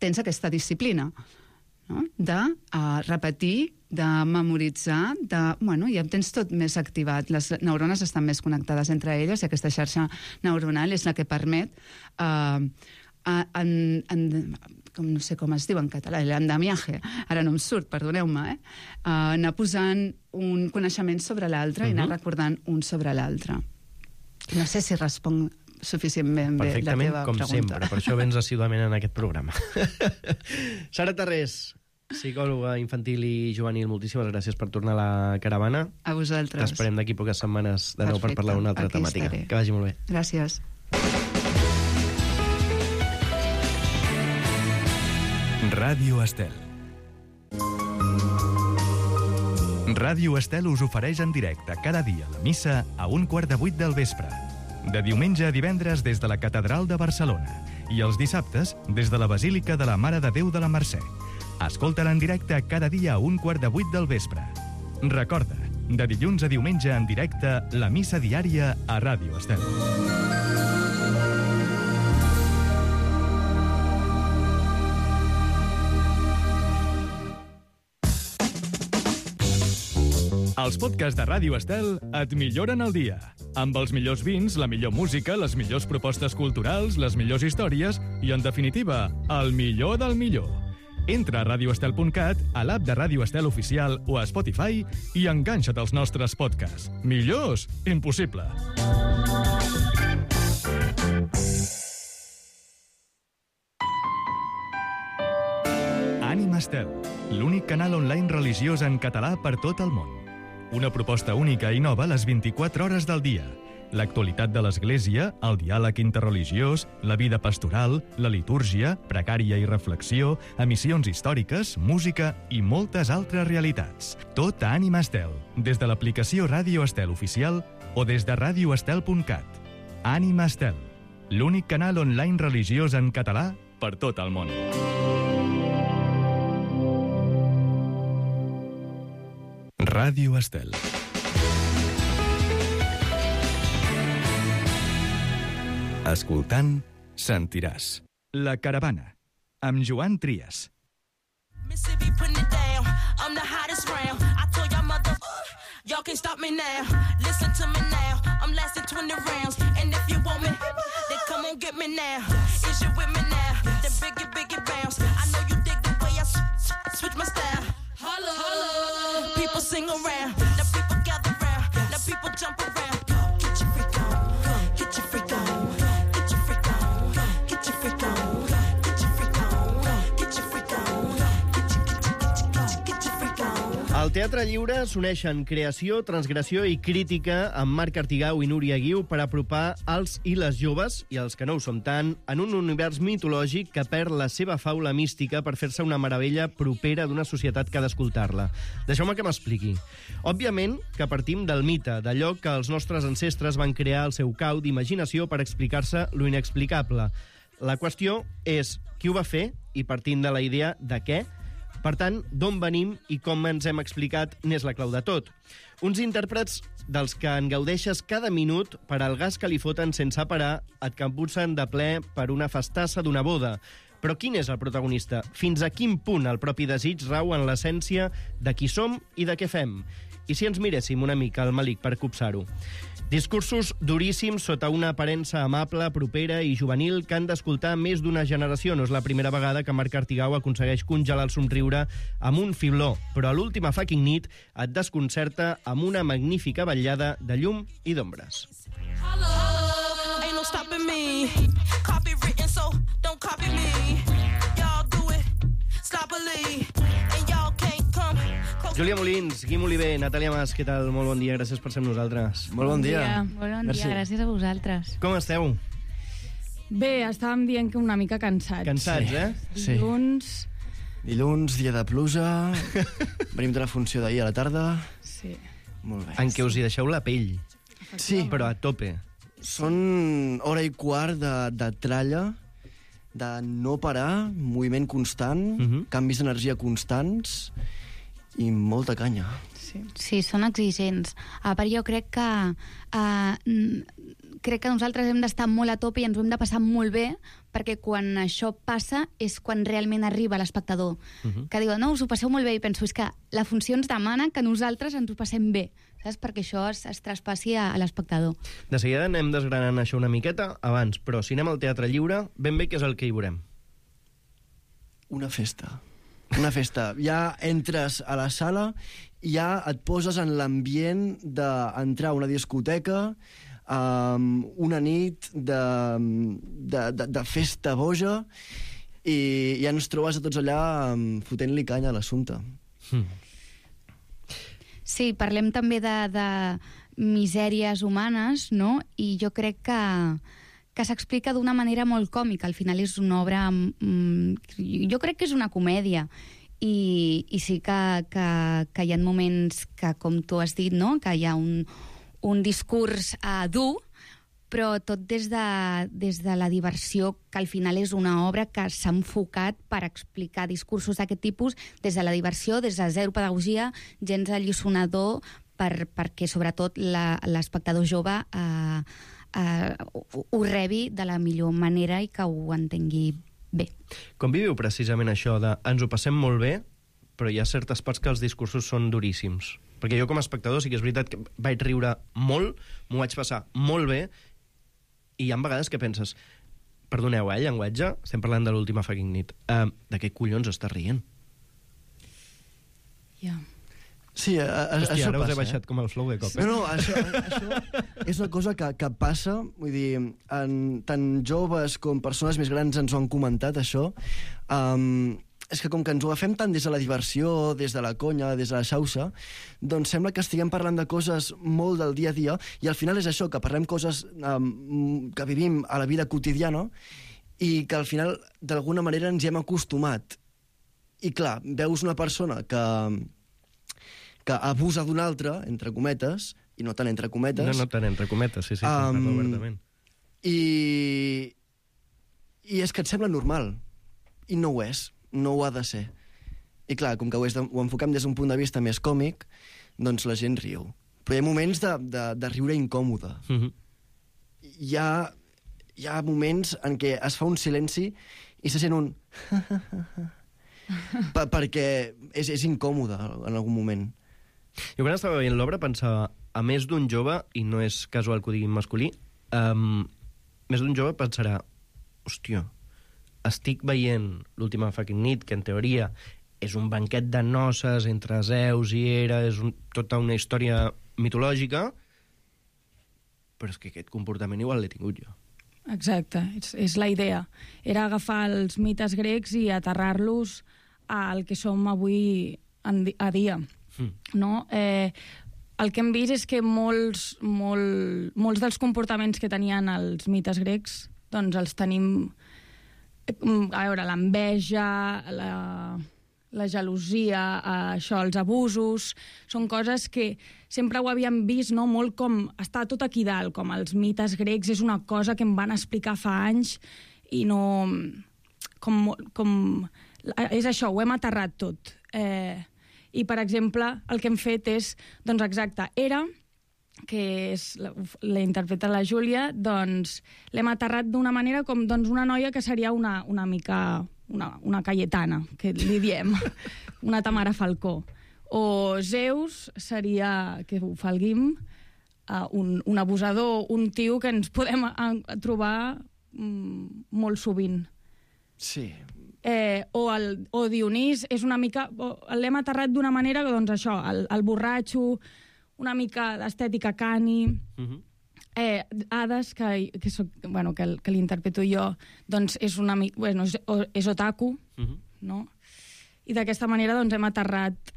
[SPEAKER 12] tens aquesta disciplina, no? De repetir, de memoritzar, ja tens tot més activat. Les neurones estan més connectades entre elles i aquesta xarxa neuronal és la que permet com no sé com es diu en català, l'andamiaje, ara no em surt, perdoneu-me, anar posant un coneixement sobre l'altre i anar recordant un sobre l'altre. No sé si responc suficientment bé la teva pregunta.
[SPEAKER 11] Com sempre, per això vens assíduament en aquest programa. Sara Tarrés, psicòloga infantil i juvenil, moltíssimes gràcies per tornar a la caravana.
[SPEAKER 12] A vosaltres.
[SPEAKER 11] T'esperem d'aquí poques setmanes de nou per parlar d'una altra temàtica. Que vagi molt bé.
[SPEAKER 12] Gràcies.
[SPEAKER 1] Ràdio Estel. Ràdio Estel us ofereix en directe cada dia la missa a 7:15 del vespre. De diumenge a divendres des de la Catedral de Barcelona i els dissabtes des de la Basílica de la Mare de Déu de la Mercè. Escolta-la en directe cada dia a 7:15 del vespre. Recorda, de dilluns a diumenge en directe, la missa diària a Ràdio Estel. Els podcasts de Ràdio Estel et milloren el dia. Amb els millors vins, la millor música, les millors propostes culturals, les millors històries i, en definitiva, el millor del millor. Entra a radioestel.cat, a l'app de Ràdio Estel Oficial o a Spotify i enganxa't als nostres podcasts. Millors? Impossible. Ànima Estel, l'únic canal online religiós en català per tot el món. Una proposta única i nova les 24 hores del dia. L'actualitat de l'Església, el diàleg interreligiós, la vida pastoral, la litúrgia, precària i reflexió, emissions històriques, música i moltes altres realitats. Tot a Ànima Estel, des de l'aplicació Ràdio Estel Oficial o des de radioestel.cat. Ànima Estel, l'únic canal online religiós en català per tot el món. Ràdio Estel. Escoltant, sentiràs. La caravana, amb Joan Trias.
[SPEAKER 14] Y'all can't stop me now. Listen to me now. I'm lasting 20 rounds. And if you want me, then come on get me now. Is you with me now? Then biggie bounce. I know you dig the way I switch my style. Holla, holla. People sing around. Now people gather round. Now people jump around. Get your freak on. Get your freak on. Get your freak on. Get your freak on. Get your freak on. Get your freak on. Get your freak on.
[SPEAKER 11] Al Teatre Lliure s'uneixen creació, transgressió i crítica amb Marc Artigau i Núria Guiu per apropar els i les joves, i els que no ho som tant, en un univers mitològic que perd la seva faula mística per fer-se una meravella propera d'una societat que ha d'escoltar-la. Deixeu-me que m'expliqui. Òbviament que partim del mite, d'allò que els nostres ancestres van crear al seu cau d'imaginació per explicar-se lo inexplicable. La qüestió és qui ho va fer i partint de la idea de què. Per tant, d'on venim i com ens hem explicat n'és la clau de tot. Uns intèrprets dels que en gaudeixes cada minut per al gas que li foten sense parar et capbussen de ple per una festassa d'una boda. Però quin és el protagonista? Fins a quin punt el propi desig rau en l'essència de qui som i de què fem? I si ens miréssim una mica al malic per copsar-ho? Discursos duríssims sota una aparença amable, propera i juvenil que han d'escoltar més d'una generació. No és la primera vegada que Marc Artigau aconsegueix congelar el somriure amb un fibló, però a l'última fucking nit et desconcerta amb una magnífica vetllada de llum i d'ombres.
[SPEAKER 14] Ain't no stopping me. Copy written, so don't copy me. Y'all do it sloppily, and y'all can't come
[SPEAKER 11] Júlia Molins, Guim Oliver, Natàlia Mas, què tal? Molt bon dia, gràcies per ser amb nosaltres.
[SPEAKER 15] Molt bon dia. Molt bon dia, gràcies a vosaltres.
[SPEAKER 11] Com esteu?
[SPEAKER 15] Bé, estàvem dient que una mica cansats.
[SPEAKER 11] Cansats, eh?
[SPEAKER 16] Dilluns, dia de pluja, venim de la funció d'ahir a la tarda.
[SPEAKER 15] Sí.
[SPEAKER 16] Molt bé.
[SPEAKER 11] En què us hi deixeu la pell.
[SPEAKER 16] Sí.
[SPEAKER 11] Però a tope.
[SPEAKER 16] Són hora i quart de tralla, de no parar, moviment constant, canvis d'energia constants i molta canya.
[SPEAKER 17] Sí, són exigents. A part, jo crec que nosaltres hem d'estar molt a tope i ens ho hem de passar molt bé, perquè quan això passa és quan realment arriba l'espectador. Que diu, no, us ho passeu molt bé, i penso, és que la funció ens demana que nosaltres ens ho passem bé, saps? Perquè això es traspassi a l'espectador.
[SPEAKER 11] De seguida anem desgranant això una miqueta abans, però si anem al Teatre Lliure, ben bé què és el que hi veurem?
[SPEAKER 16] Una festa. Una festa. Ja entres a la sala, ja et poses en l'ambient d'entrar a una discoteca, una nit de festa boja, i ja ens trobes a tots allà fotent-li canya a l'assumpte.
[SPEAKER 17] Sí, parlem també de misèries humanes, no? I jo crec que s'explica d'una manera molt còmica. Al final és una obra... jo crec que és una comèdia. I sí que hi ha moments que, com tu has dit, no? Que hi ha un discurs dur, però tot des de la diversió, que al final és una obra que s'ha enfocat per explicar discursos d'aquest tipus des de la diversió, des de zero pedagogia, gens alliçonador, perquè sobretot l'espectador jove ho rebi de la millor manera i que ho entengui bé.
[SPEAKER 11] Com viviu precisament això de ens ho passem molt bé, però hi ha certes parts que els discursos són duríssims? Perquè jo com a espectador sí que és veritat que vaig riure molt, m'ho vaig passar molt bé, i hi ha vegades que penses, perdoneu, llenguatge, estem parlant de l'última fucking nit, de què collons estàs rient?
[SPEAKER 17] Ja.
[SPEAKER 16] Sí,
[SPEAKER 11] hòstia,
[SPEAKER 16] això
[SPEAKER 11] ara
[SPEAKER 16] passa.
[SPEAKER 11] us he baixat com el flow de cop.
[SPEAKER 16] No, això és una cosa que passa, vull dir, tant joves com persones més grans ens ho han comentat, això. És que com que ens ho agafem tant des de la diversió, des de la conya, des de la xauxa, doncs sembla que estiguem parlant de coses molt del dia a dia, i al final és això, que parlem coses que vivim a la vida quotidiana i que al final d'alguna manera ens hi hem acostumat. I clar, veus una persona que abusa d'un altre, entre cometes, i no tant entre cometes...
[SPEAKER 11] No tant entre cometes, sí, obertament.
[SPEAKER 16] I és que et sembla normal, i no ho és, no ho ha de ser. I clar, com que ho enfoquem des d'un punt de vista més còmic, doncs la gent riu. Però hi ha moments de riure incòmode. Hi ha moments en què es fa un silenci i se sent un... perquè és incòmode en algun moment.
[SPEAKER 11] Jo quan estava veient l'obra pensava, a més d'un jove, i no és casual que ho diguin masculí, més d'un jove pensarà, hòstia, estic veient l'última fucking nit, que en teoria és un banquet de noces entre Zeus i Hera, és tota una història mitològica, però és que aquest comportament igual l'he tingut jo.
[SPEAKER 15] Exacte, és la idea. Era agafar els mites grecs i aterrar-los al que som avui a dia. No? El que hem vist és que molts dels comportaments que tenien els mites grecs doncs els tenim, a veure, l'enveja, la gelosia, això, els abusos, són coses que sempre ho havíem vist, no? Molt com està tot aquí dalt, com els mites grecs, és una cosa que em van explicar fa anys i no... és això, ho hem aterrat tot. I, per exemple, el que hem fet és, doncs exacte, Hera, que la interpreta la Júlia, doncs l'hem aterrat d'una manera com doncs, una noia que seria una mica una Cayetana, que li diem, una Tamara Falcó. O Zeus seria, que ho fa el Guim, un abusador, un tio que ens podem trobar molt sovint.
[SPEAKER 16] Sí.
[SPEAKER 15] O Dionís és una mica... L'hem aterrat d'una manera que, doncs, això, el borratxo, una mica d'estètica cani... Hades, que l'interpreto jo, doncs és una mica... Bueno, és otaku, no? I d'aquesta manera, doncs, hem aterrat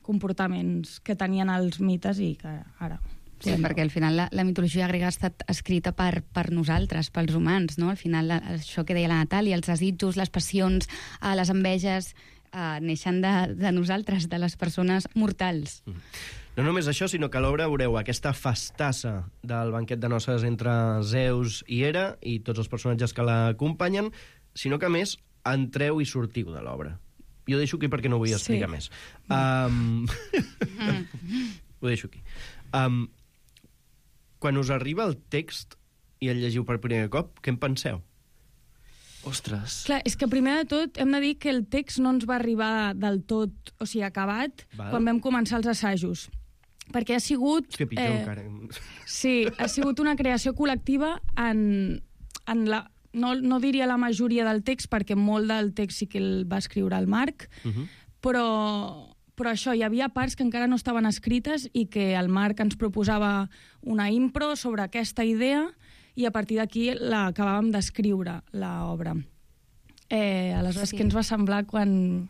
[SPEAKER 15] comportaments que tenien els mites i que ara...
[SPEAKER 17] Sí, perquè al final la mitologia grega ha estat escrita per nosaltres, pels humans, no? Al final, això que deia la Natàlia, els desitjos, les passions, les enveges, neixen de nosaltres, de les persones mortals.
[SPEAKER 11] No només això, sinó que a l'obra veureu aquesta festassa del banquet de noces entre Zeus i Hera i tots els personatges que l'acompanyen, sinó que, a més, entreu i sortiu de l'obra. Jo deixo aquí perquè no vull explicar més. Ho deixo aquí. Quan us arriba el text i el llegiu per primer cop, què en penseu?
[SPEAKER 16] Ostres.
[SPEAKER 15] Clar, és que primer de tot hem de dir que el text no ens va arribar del tot, o sigui, acabat, quan vam començar els assajos. Perquè ha sigut...
[SPEAKER 11] És que pitjor encara.
[SPEAKER 15] Sí, ha sigut una creació col·lectiva en la... No diria la majoria del text, perquè molt del text sí que el va escriure el Marc, però això, hi havia parts que encara no estaven escrites i que el Marc ens proposava una impro sobre aquesta idea i a partir d'aquí l'acabàvem d'escriure, l'obra. Aleshores, què ens va semblar quan...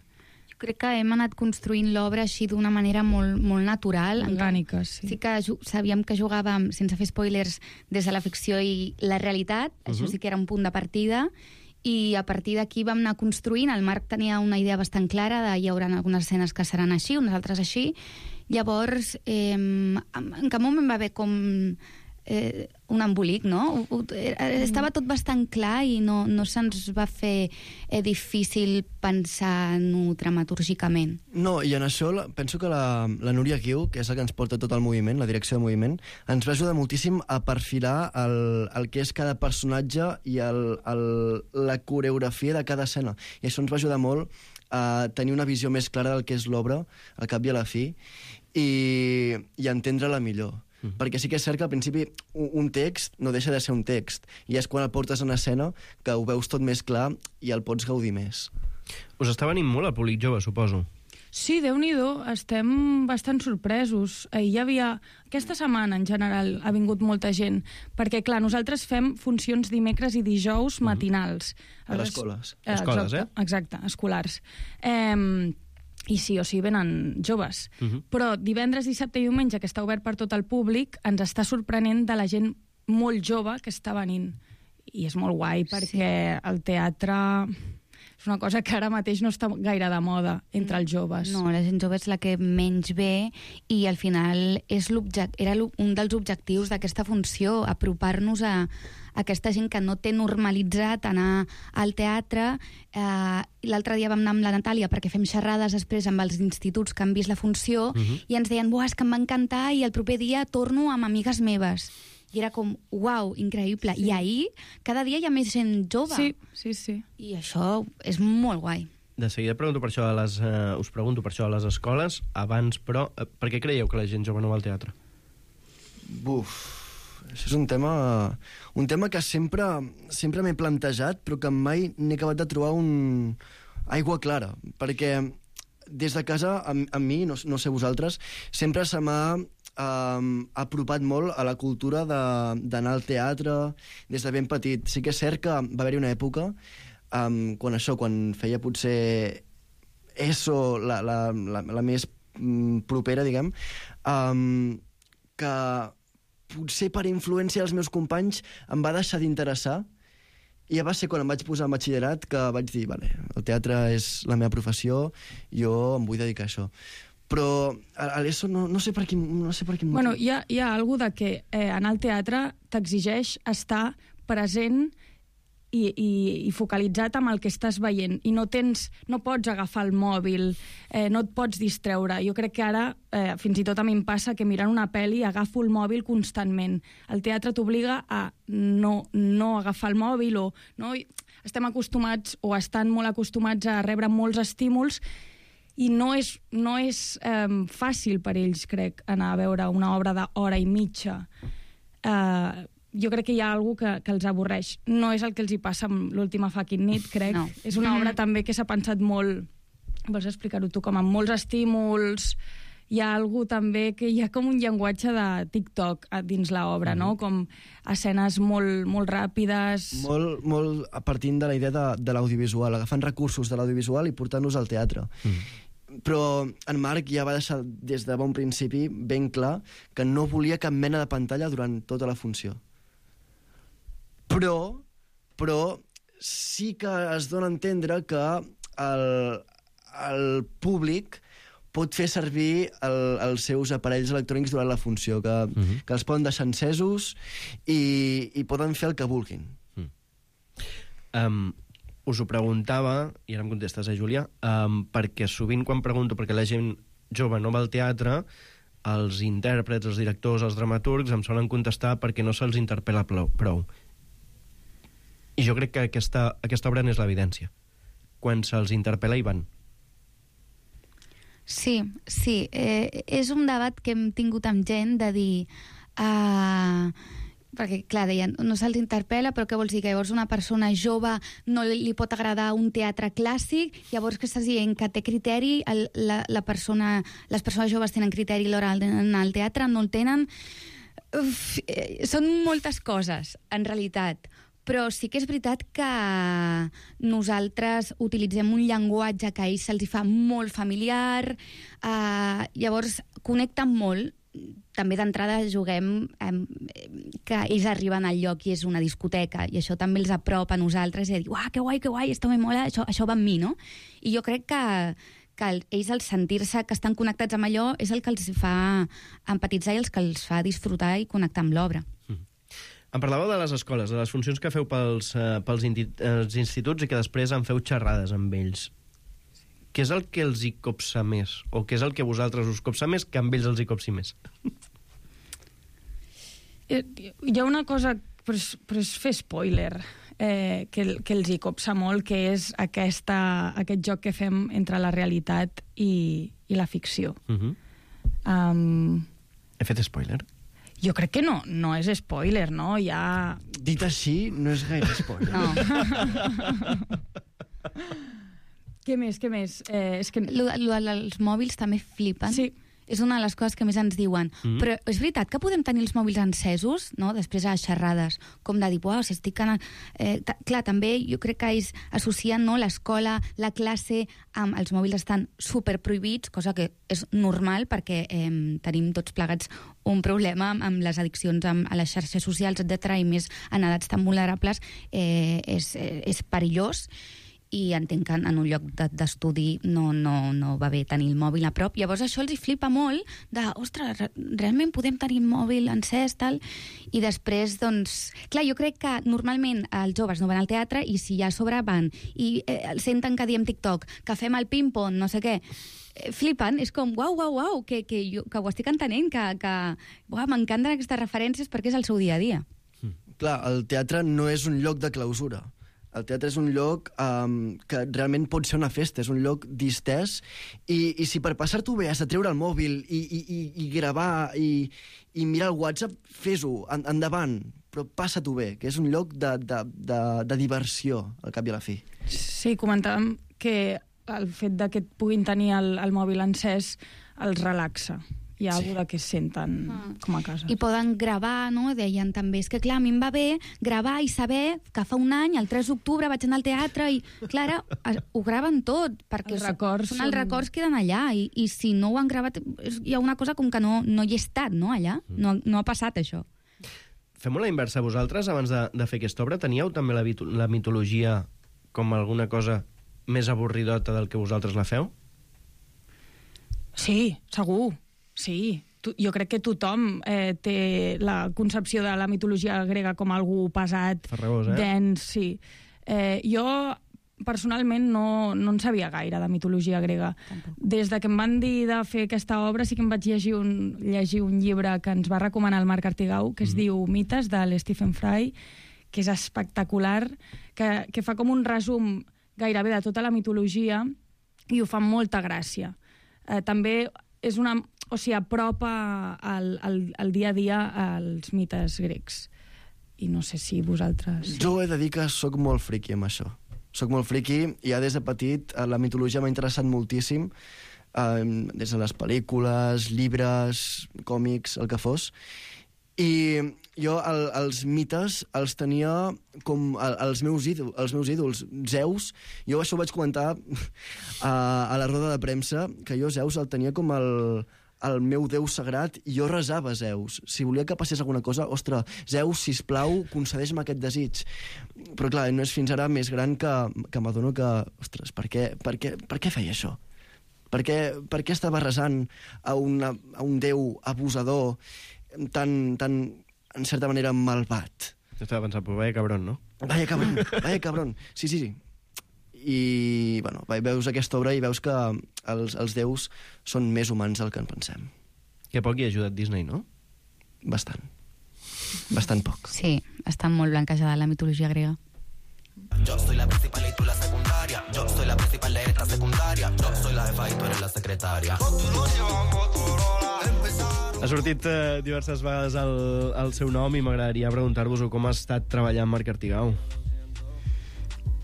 [SPEAKER 17] Jo crec que hem anat construint l'obra així d'una manera molt, molt natural.
[SPEAKER 15] Orgànica, sí.
[SPEAKER 17] Sí que sabíem que jugàvem, sense fer spoilers, des de la ficció i la realitat. Això sí que era un punt de partida. I a partir d'aquí vam anar construint. El Marc tenia una idea bastant clara de hi haurà algunes escenes que seran així, unes altres així. Llavors, en cap moment va haver com un embolic, no? Estava tot bastant clar i no se'ns va fer difícil pensar-ho dramatúrgicament.
[SPEAKER 16] No, i en això penso que la Núria Guiu, que és la que ens porta tot el moviment, la direcció de moviment, ens va ajudar moltíssim a perfilar el que és cada personatge i la coreografia de cada escena. I això ens va ajudar molt a tenir una visió més clara del que és l'obra, al cap i a la fi, i entendre-la millor. Perquè sí que és cert que al principi un text no deixa de ser un text i és quan el portes en escena que ho veus tot més clar i el pots gaudir més.
[SPEAKER 11] Us està venint molt el públic jove, suposo.
[SPEAKER 15] Sí, Déu-n'hi-do, estem bastant sorpresos. Hi havia... Aquesta setmana, en general, ha vingut molta gent, perquè, clar, nosaltres fem funcions dimecres i dijous matinals.
[SPEAKER 16] A les escoles.
[SPEAKER 11] Escoles,
[SPEAKER 15] Exacte, escolars. I sí, o sigui, venen joves. Però divendres, dissabte i diumenge, que està obert per tot el públic, ens està sorprenent de la gent molt jove que està venint. I és molt guai, perquè el teatre és una cosa que ara mateix no està gaire de moda entre els joves.
[SPEAKER 17] No, la gent jove és la que menys ve i al final era un dels objectius d'aquesta funció, apropar-nos a aquesta gent que no té normalitzat anar al teatre. L'altre dia vam anar amb la Natàlia perquè fem xerrades després amb els instituts que han vist la funció i ens deien, és que em va encantar i el proper dia torno amb amigues meves. I era com, uau, increïble. Sí. I ahir, cada dia hi ha més gent jove.
[SPEAKER 15] Sí.
[SPEAKER 17] I això és molt guai.
[SPEAKER 11] De seguida us pregunto per això a les escoles, abans, però, per què creieu que la gent jove no va al teatre?
[SPEAKER 16] Això és un tema que sempre m'he plantejat, però que mai n'he acabat de trobar aigua clara, perquè des de casa, a mi, no sé vosaltres, sempre se m'ha apropat molt a la cultura d'anar al teatre des de ben petit. Sí que és cert que va haver-hi una època quan feia potser ESO, la més propera, diguem, que potser per influència dels meus companys em va deixar d'interessar i ja va ser quan em vaig posar en batxillerat que vaig dir, vale, el teatre és la meva professió, jo em vull dedicar a això. Però a l'ESO no sé per quin motiu.
[SPEAKER 15] Bueno, hi ha alguna cosa que anar al teatre t'exigeix estar present i focalitzat amb el que estàs veient i no pots agafar el mòbil, no et pots distreure. Jo crec que ara, fins i tot a mi em passa que mirant una pel·li agafo el mòbil constantment. El teatre t'obliga a no agafar el mòbil estem acostumats o estan molt acostumats a rebre molts estímuls i no és fàcil per ells, crec, anar a veure una obra d'hora i mitja. Jo crec que hi ha alguna que els avorreix. No és el que els hi passa amb l'última fucking nit, crec. No. És una obra també que s'ha pensat molt... Vols explicar-ho tu? Com amb molts estímuls... Hi ha alguna també que hi ha com un llenguatge de TikTok dins l'obra, no? Com escenes molt ràpides...
[SPEAKER 16] Molt partint de la idea de l'audiovisual, agafant recursos de l'audiovisual i portant-los al teatre. Però en Marc ja va deixar des de bon principi ben clar que no volia cap mena de pantalla durant tota la funció. Però sí que es dona a entendre que el públic pot fer servir els seus aparells electrònics durant la funció, que els poden deixar encesos i poden fer el que vulguin.
[SPEAKER 11] Us ho preguntava, i ara em contestes, Júlia, perquè sovint quan pregunto perquè la gent jove no va al teatre, els intèrprets, els directors, els dramaturgs em solen contestar perquè no se'ls interpel·la prou. I jo crec que aquesta obra n'és l'evidència. Quan se'ls interpel·la hi van.
[SPEAKER 17] Sí. És un debat que hem tingut amb gent de dir... perquè, clar, deien, no se'ls interpel·la, però què vols dir? Que llavors una persona jove no li pot agradar un teatre clàssic, llavors que estàs dient que té criteri, les persones joves tenen criteri a l'hora d'anar al teatre, no el tenen... Són moltes coses, en realitat. Però sí que és veritat que nosaltres utilitzem un llenguatge que a ells se'ls fa molt familiar, llavors connecten molt. També d'entrada juguem que ells arriben al lloc i és una discoteca, i això també els apropa a nosaltres i a dir, uah, que guai, esto me mola, això va amb mi, no? I jo crec que ells, al sentir-se que estan connectats amb allò, és el que els fa empatitzar i els que els fa disfrutar i connectar amb l'obra.
[SPEAKER 11] Em parlàveu de les escoles, de les funcions que feu pels instituts i que després en feu xerrades amb ells. Què és el que els hi copsa més? O què és el que a vosaltres us copsa més que amb ells els hi copsi més?
[SPEAKER 15] Hi ha una cosa, però és fer spoiler, que els hi copsa molt, que és aquest joc que fem entre la realitat i la ficció.
[SPEAKER 11] He fet spoiler?
[SPEAKER 15] Jo crec que no és spoiler, no? Ja...
[SPEAKER 16] Dit així, no és gaire spoiler.
[SPEAKER 15] No. Què més? És que...
[SPEAKER 17] Els mòbils també flipen.
[SPEAKER 15] Sí.
[SPEAKER 17] És una de les coses que més ens diuen. Però és veritat que podem tenir els mòbils encesos, no? Després a les xerrades, com de dir, uau, si estic... Clar, també jo crec que ells associen, no, l'escola, la classe, amb els mòbils estan superprohibits, cosa que és normal perquè tenim tots plegats un problema amb les addiccions a les xarxes socials, etc., i més en edats tan vulnerables, és perillós. I entenc que en un lloc d'estudi no va bé tenir el mòbil a prop. Llavors això els hi flipa molt de, ostres, realment podem tenir el mòbil encès, tal? I després, doncs... Clar, jo crec que normalment els joves no van al teatre i si ja a sobre van i senten que diem TikTok, que fem el ping-pong, no sé què, flipen, és com, uau, que ho estic entenent, que m'encanten aquestes referències perquè és el seu dia a dia.
[SPEAKER 16] Clar, el teatre no és un lloc de clausura. El teatre és un lloc que realment pot ser una festa, és un lloc distès, i si per passar-t'ho bé has de treure el mòbil i gravar i mirar el WhatsApp, fes-ho, endavant, però passa-t'ho bé, que és un lloc de diversió, al cap i a la fi.
[SPEAKER 15] Sí, comentàvem que el fet de que puguin tenir el mòbil encès els relaxa. Hi ha alguna que es senten com a casa.
[SPEAKER 17] I poden gravar, no? Deien també, és que clar, a mi em va bé gravar i saber que fa un any, el 3 d'octubre, vaig anar al teatre i, clar, ho graven tot, perquè els records queden allà i si no ho han gravat, hi ha una cosa com que no hi he estat, no, allà? No ha passat això.
[SPEAKER 11] Fem-ho a la inversa. Vosaltres, abans de fer aquesta obra, teníeu també la mitologia com alguna cosa més avorridota del que vosaltres la feu?
[SPEAKER 15] Sí, segur. Sí, jo crec que tothom té la concepció de la mitologia grega com algú pesat,
[SPEAKER 11] farragós,
[SPEAKER 15] dens, sí. Jo, personalment, no en sabia gaire de mitologia grega. Tampoc. Des de que em van dir de fer aquesta obra sí que em vaig llegir un llibre que ens va recomanar el Marc Artigau, que es diu Mites, de l'Stephen Fry, que és espectacular, que fa com un resum gairebé de tota la mitologia i ho fa amb molta gràcia. També és apropa al dia a dia als mites grecs. I no sé si vosaltres...
[SPEAKER 16] Jo he de dir que sóc molt friqui amb això. Soc molt friqui i ja des de petit la mitologia m'ha interessat moltíssim, des de les pel·lícules, llibres, còmics, el que fos. I jo els mites els tenia com els meus ídols. Zeus, jo això ho vaig comentar a la roda de premsa, que jo Zeus el tenia com el meu déu sagrat i jo resava Zeus. Si volia que passés alguna cosa, ostres, Zeus, sisplau, concedeix-me aquest desig. Però clar, no és fins ara més gran que m'adono que, ostres, per què feia això? Per què estava resant a un déu abusador tan, en certa manera, malvat?
[SPEAKER 11] Estava pensant, però vaya cabrón, no?
[SPEAKER 16] Vaya cabrón. Sí. I, bueno, veus aquesta obra i veus que els déus són més humans del que en pensem.
[SPEAKER 11] Que poc hi ha ajudat Disney, no?
[SPEAKER 16] Bastant poc.
[SPEAKER 17] Sí, està molt blanquejada la mitologia grega.
[SPEAKER 18] Yo soy la principal y tú la secundaria. Yo soy la principal de esta secundaria. Yo soy la jefa y tú eres la secretaria.
[SPEAKER 11] Ha sortit diverses vegades el seu nom i m'agradaria preguntar-vos com ha estat treballar amb Marc Artigau.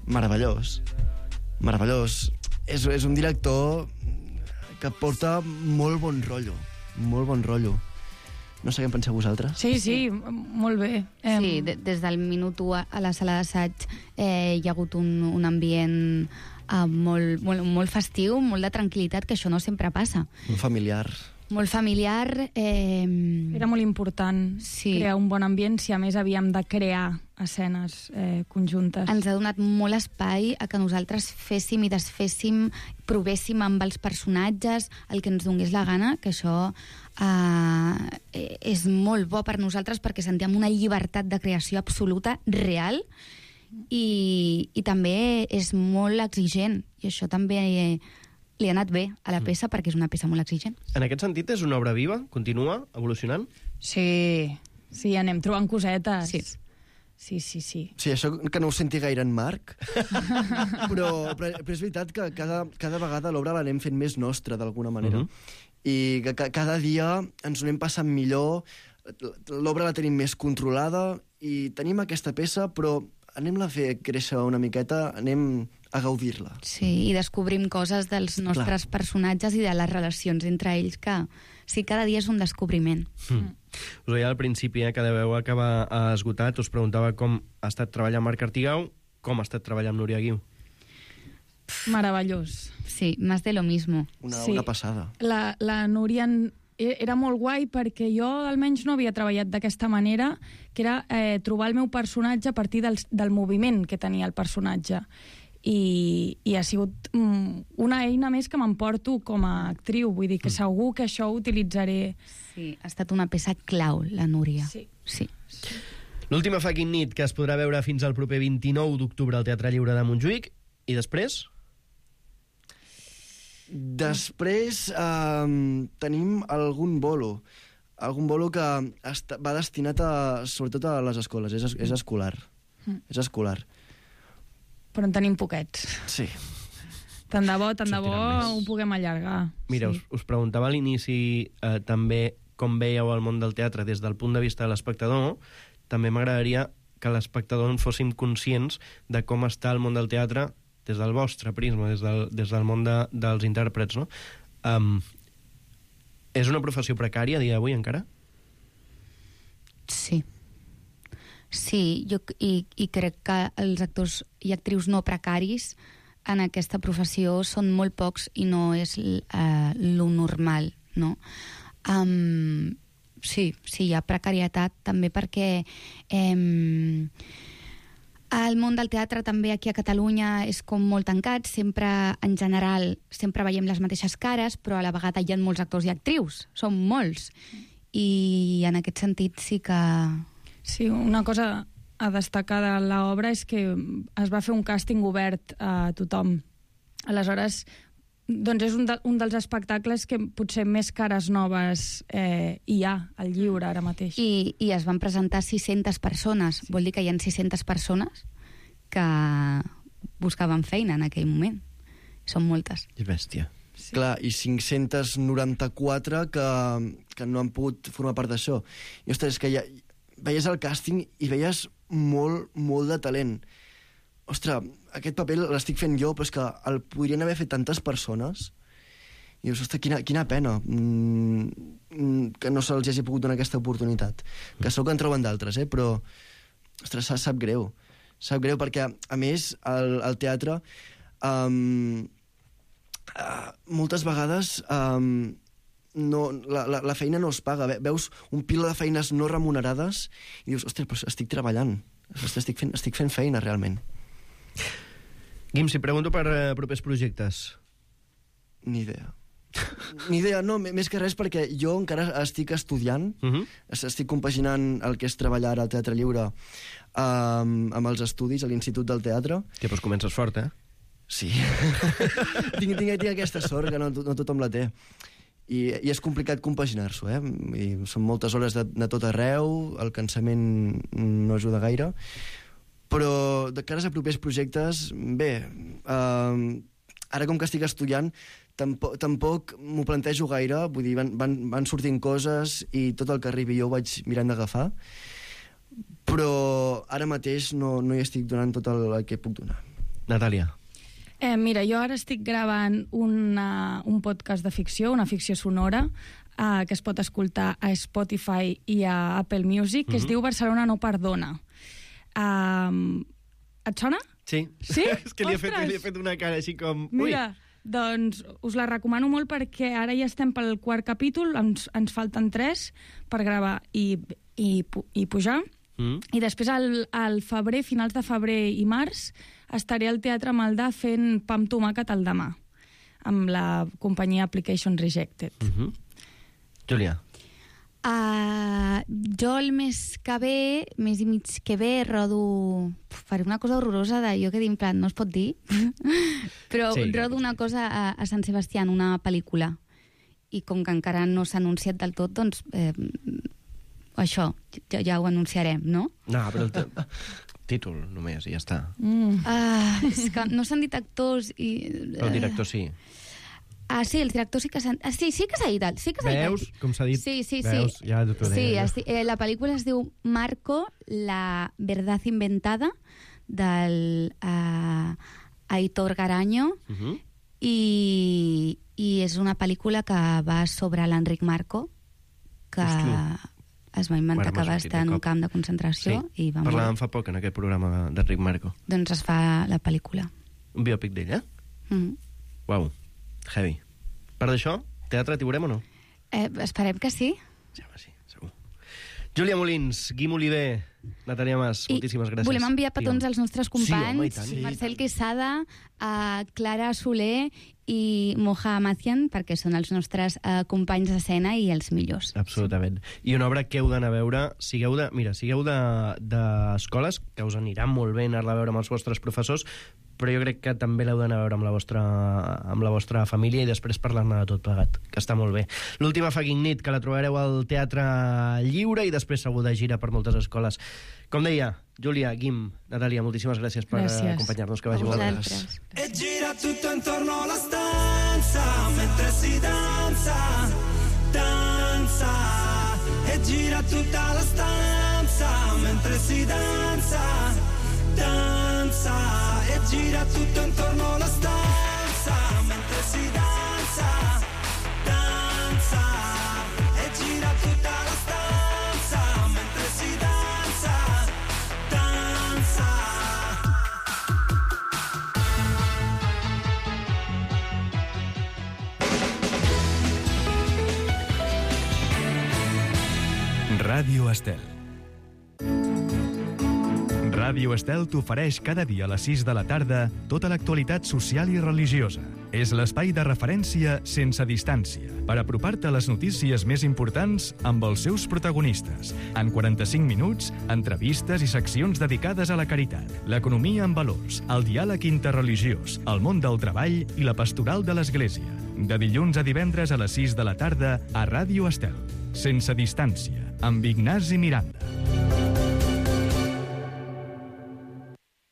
[SPEAKER 16] Meravellós. És un director que porta molt bon rotllo. No sé què en penseu vosaltres.
[SPEAKER 15] Sí, molt bé.
[SPEAKER 17] Sí, des del minut 1 a la sala d'assaig hi ha hagut un ambient molt festiu, molt de tranquil·litat, que això no sempre passa. Molt familiar.
[SPEAKER 15] Era molt important crear un bon ambient si a més havíem de crear escenes conjuntes.
[SPEAKER 17] Ens ha donat molt espai a que nosaltres féssim i desféssim, provéssim amb els personatges el que ens donés la gana, que això és molt bo per nosaltres perquè sentíem una llibertat de creació absoluta, real, i també és molt exigent, i això també li ha anat bé a la peça perquè és una peça molt exigent.
[SPEAKER 11] En aquest sentit, és una obra viva? Continua evolucionant?
[SPEAKER 15] Sí, anem trobant cosetes. Sí.
[SPEAKER 16] Sí, això que no ho senti gaire en Marc, però és veritat que cada vegada l'obra l'anem fent més nostra, d'alguna manera. I que cada dia ens ho anem passant millor, l'obra la tenim més controlada i tenim aquesta peça, però anem-la a fer créixer una miqueta, anem a gaudir-la.
[SPEAKER 17] Sí, i descobrim coses dels nostres personatges i de les relacions entre ells, que sí, cada dia és un descobriment.
[SPEAKER 11] Us deia al principi que deveu acabar esgotat. Us preguntava com ha estat treballar amb Marc Artigau, com ha estat treballar amb Núria Guiu.
[SPEAKER 17] Meravellós. Sí, más de lo mismo.
[SPEAKER 16] Una passada.
[SPEAKER 15] La Núria era molt guai perquè jo almenys no havia treballat d'aquesta manera, que era trobar el meu personatge a partir del moviment que tenia el personatge. I ha sigut una eina més que m'emporto com a actriu, vull dir que segur que això ho utilitzaré.
[SPEAKER 17] Sí, ha estat una peça clau, la Núria. Sí.
[SPEAKER 11] L'última fucking nit, que es podrà veure fins al proper 29 d'octubre al Teatre Lliure de Montjuïc, i després?
[SPEAKER 16] Després tenim algun bolo que va destinat sobretot a les escoles, és escolar. És escolar.
[SPEAKER 15] Però en tenim poquets.
[SPEAKER 16] Sí.
[SPEAKER 15] Tant de bo ho puguem allargar.
[SPEAKER 11] Mira, us preguntava a l'inici també com veieu el món del teatre des del punt de vista de l'espectador. També m'agradaria que l'espectador en fóssim conscients de com està el món del teatre des del vostre prisma, des del món dels intèrprets, no? És una professió precària a dia d'avui encara?
[SPEAKER 17] Sí. Sí, i crec que els actors i actrius no precaris en aquesta professió són molt pocs i no és lo normal, no? Sí, hi ha precarietat també perquè el món del teatre també aquí a Catalunya és com molt tancat, sempre, en general, sempre veiem les mateixes cares, però a la vegada hi ha molts actors i actrius, són molts, i en aquest sentit sí que...
[SPEAKER 15] Sí, una cosa a destacar de l'obra és que es va fer un càsting obert a tothom. Aleshores, doncs és un dels espectacles que potser més cares noves hi ha al lliure ara mateix.
[SPEAKER 17] I es van presentar 600 persones. Vol dir que hi ha 600 persones que buscaven feina en aquell moment. Són moltes.
[SPEAKER 16] És bèstia. Sí. Clar, i 594 que no han pogut formar part d'això. I, ostres, és que veies el càsting i veies molt de talent. Ostres, aquest paper l'estic fent jo, però és que el podrien haver fet tantes persones I dius, ostres, quina pena que no se'ls hagi pogut donar aquesta oportunitat. Que segur que en troben d'altres, però, ostres, sap greu. Sap greu perquè, a més, el teatre moltes vegades la feina no es paga. Veus un pila de feines no remunerades i dius, ostres, però estic treballant. Estic fent feina, realment.
[SPEAKER 11] Guim, si pregunto per propers projectes.
[SPEAKER 16] Ni idea. No, més que res perquè jo encara estic estudiant, estic compaginant el que és treballar al Teatre Lliure amb els estudis a l'Institut del Teatre.
[SPEAKER 11] Que doncs comences fort,
[SPEAKER 16] Sí. tinc aquesta sort que no tothom la té. I és complicat compaginar-s'ho, Són moltes hores de tot arreu, el cansament no ajuda gaire, però de cares a propers projectes, bé, ara com que estic estudiant, tampoc m'ho plantejo gaire, vull dir, van sortint coses i tot el que arribi jo ho vaig mirant d'agafar, però ara mateix no hi estic donant tot el que puc donar.
[SPEAKER 11] Natàlia.
[SPEAKER 15] Mira, jo ara estic gravant un podcast de ficció, una ficció sonora, que es pot escoltar a Spotify i a Apple Music, que es diu Barcelona no perdona. Et sona?
[SPEAKER 11] Sí.
[SPEAKER 15] Sí?
[SPEAKER 11] És que li he fet una cara així com...
[SPEAKER 15] Mira, doncs us la recomano molt perquè ara ja estem pel 4 capítol, ens falten 3 per gravar i pujar. I després al febrer, finals de febrer i març, estaré al Teatre Maldà fent Pa amb tomàquet al demà, amb la companyia Application Rejected.
[SPEAKER 11] Júlia.
[SPEAKER 17] Jo el mes i mig que ve, rodo... Faré una cosa horrorosa de jo que dic en plan, no es pot dir, però rodo una cosa a Sant Sebastià, una pel·lícula. I com que encara no s'ha anunciat del tot, doncs... això, ja ho anunciarem, no?
[SPEAKER 11] No, però el títol només, i ja està.
[SPEAKER 17] És que no s'han dit actors i...
[SPEAKER 11] Però el director sí.
[SPEAKER 17] Sí, el director sí que s'ha... Sí que s'ha dit.
[SPEAKER 11] Veus com s'ha dit?
[SPEAKER 17] Sí.
[SPEAKER 11] Veus? Ja t'ho deia.
[SPEAKER 17] Sí, la pel·lícula es diu Marco, la verdad inventada, del Aitor Garaño, i és una pel·lícula que va sobre l'Enric Marco, que... es va inventar que va estar en un camp de concentració i va morir.
[SPEAKER 11] Parlàvem fa poc en aquest programa d'Enric Marco.
[SPEAKER 17] Doncs es fa la pel·lícula.
[SPEAKER 11] Un biòpic d'ell, Uau, heavy. Per d'això, teatre t'hi veurem o no?
[SPEAKER 17] Esperem que sí.
[SPEAKER 11] Sí, segur. Júlia Molins, Guim Oliver, Natàlia Mas, moltíssimes gràcies.
[SPEAKER 17] Volem enviar petons als nostres companys,
[SPEAKER 11] sí,
[SPEAKER 17] Marcel Quesada, Clara Soler i Moja Amazian, perquè són els nostres companys d'escena i els millors.
[SPEAKER 11] Absolutament. I una obra que heu d'anar a veure, sigueu d'escoles, que us anirà molt bé anar-la a veure amb els vostres professors, però jo crec que també l'heu d'anar a veure amb la vostra família i després parlar-ne de tot plegat, que està molt bé. L'última fucking nit, que la trobareu al Teatre Lliure i després segur de gira per moltes escoles. Com deia, Júlia, Guim, Natàlia, moltíssimes gràcies per acompanyar-nos, que vagi molt bé.
[SPEAKER 10] E gira tutto intorno alla stanza mentre si danza, danza. E gira tutta la stanza mentre si danza, danza. E gira tutto intorno alla stanza mentre si danza, danza. E gira tutta la stanza mentre si danza, danza.
[SPEAKER 1] Ràdio Estel. Ràdio Estel t'ofereix cada dia a les 6 de la tarda tota l'actualitat social i religiosa. És l'espai de referència sense distància per apropar-te a les notícies més importants amb els seus protagonistes. En 45 minuts, entrevistes i seccions dedicades a la caritat, l'economia en valors, el diàleg interreligiós, el món del treball i la pastoral de l'Església. De dilluns a divendres a les 6 de la tarda a Ràdio Estel. Sense distància, amb Ignasi Miranda.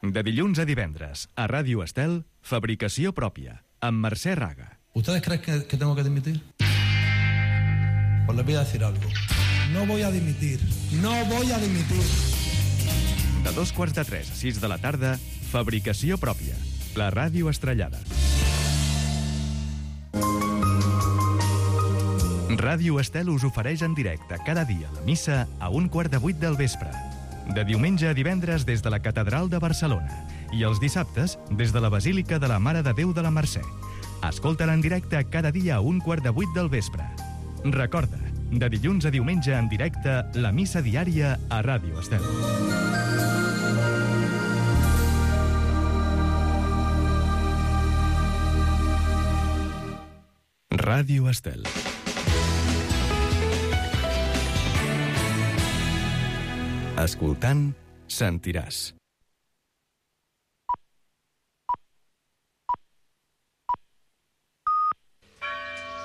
[SPEAKER 1] De dilluns a divendres, a Ràdio Estel, Fabricació pròpia, amb Mercè Raga.
[SPEAKER 19] ¿Ustedes creen que tengo que dimitir? Pues les voy a decir algo. No voy a dimitir. No voy a dimitir.
[SPEAKER 1] De 2:45 a 6 de la tarda, Fabricació pròpia, la ràdio estrellada. Ràdio Estel us ofereix en directe cada dia la missa a 7:15 del vespre. De diumenge a divendres des de la Catedral de Barcelona i els dissabtes des de la Basílica de la Mare de Déu de la Mercè. Escolta-la en directe cada dia a 7:15 del vespre. Recorda, de dilluns a diumenge en directe, la missa diària a Ràdio Estel. Ràdio Estel. Escoltant, sentiràs.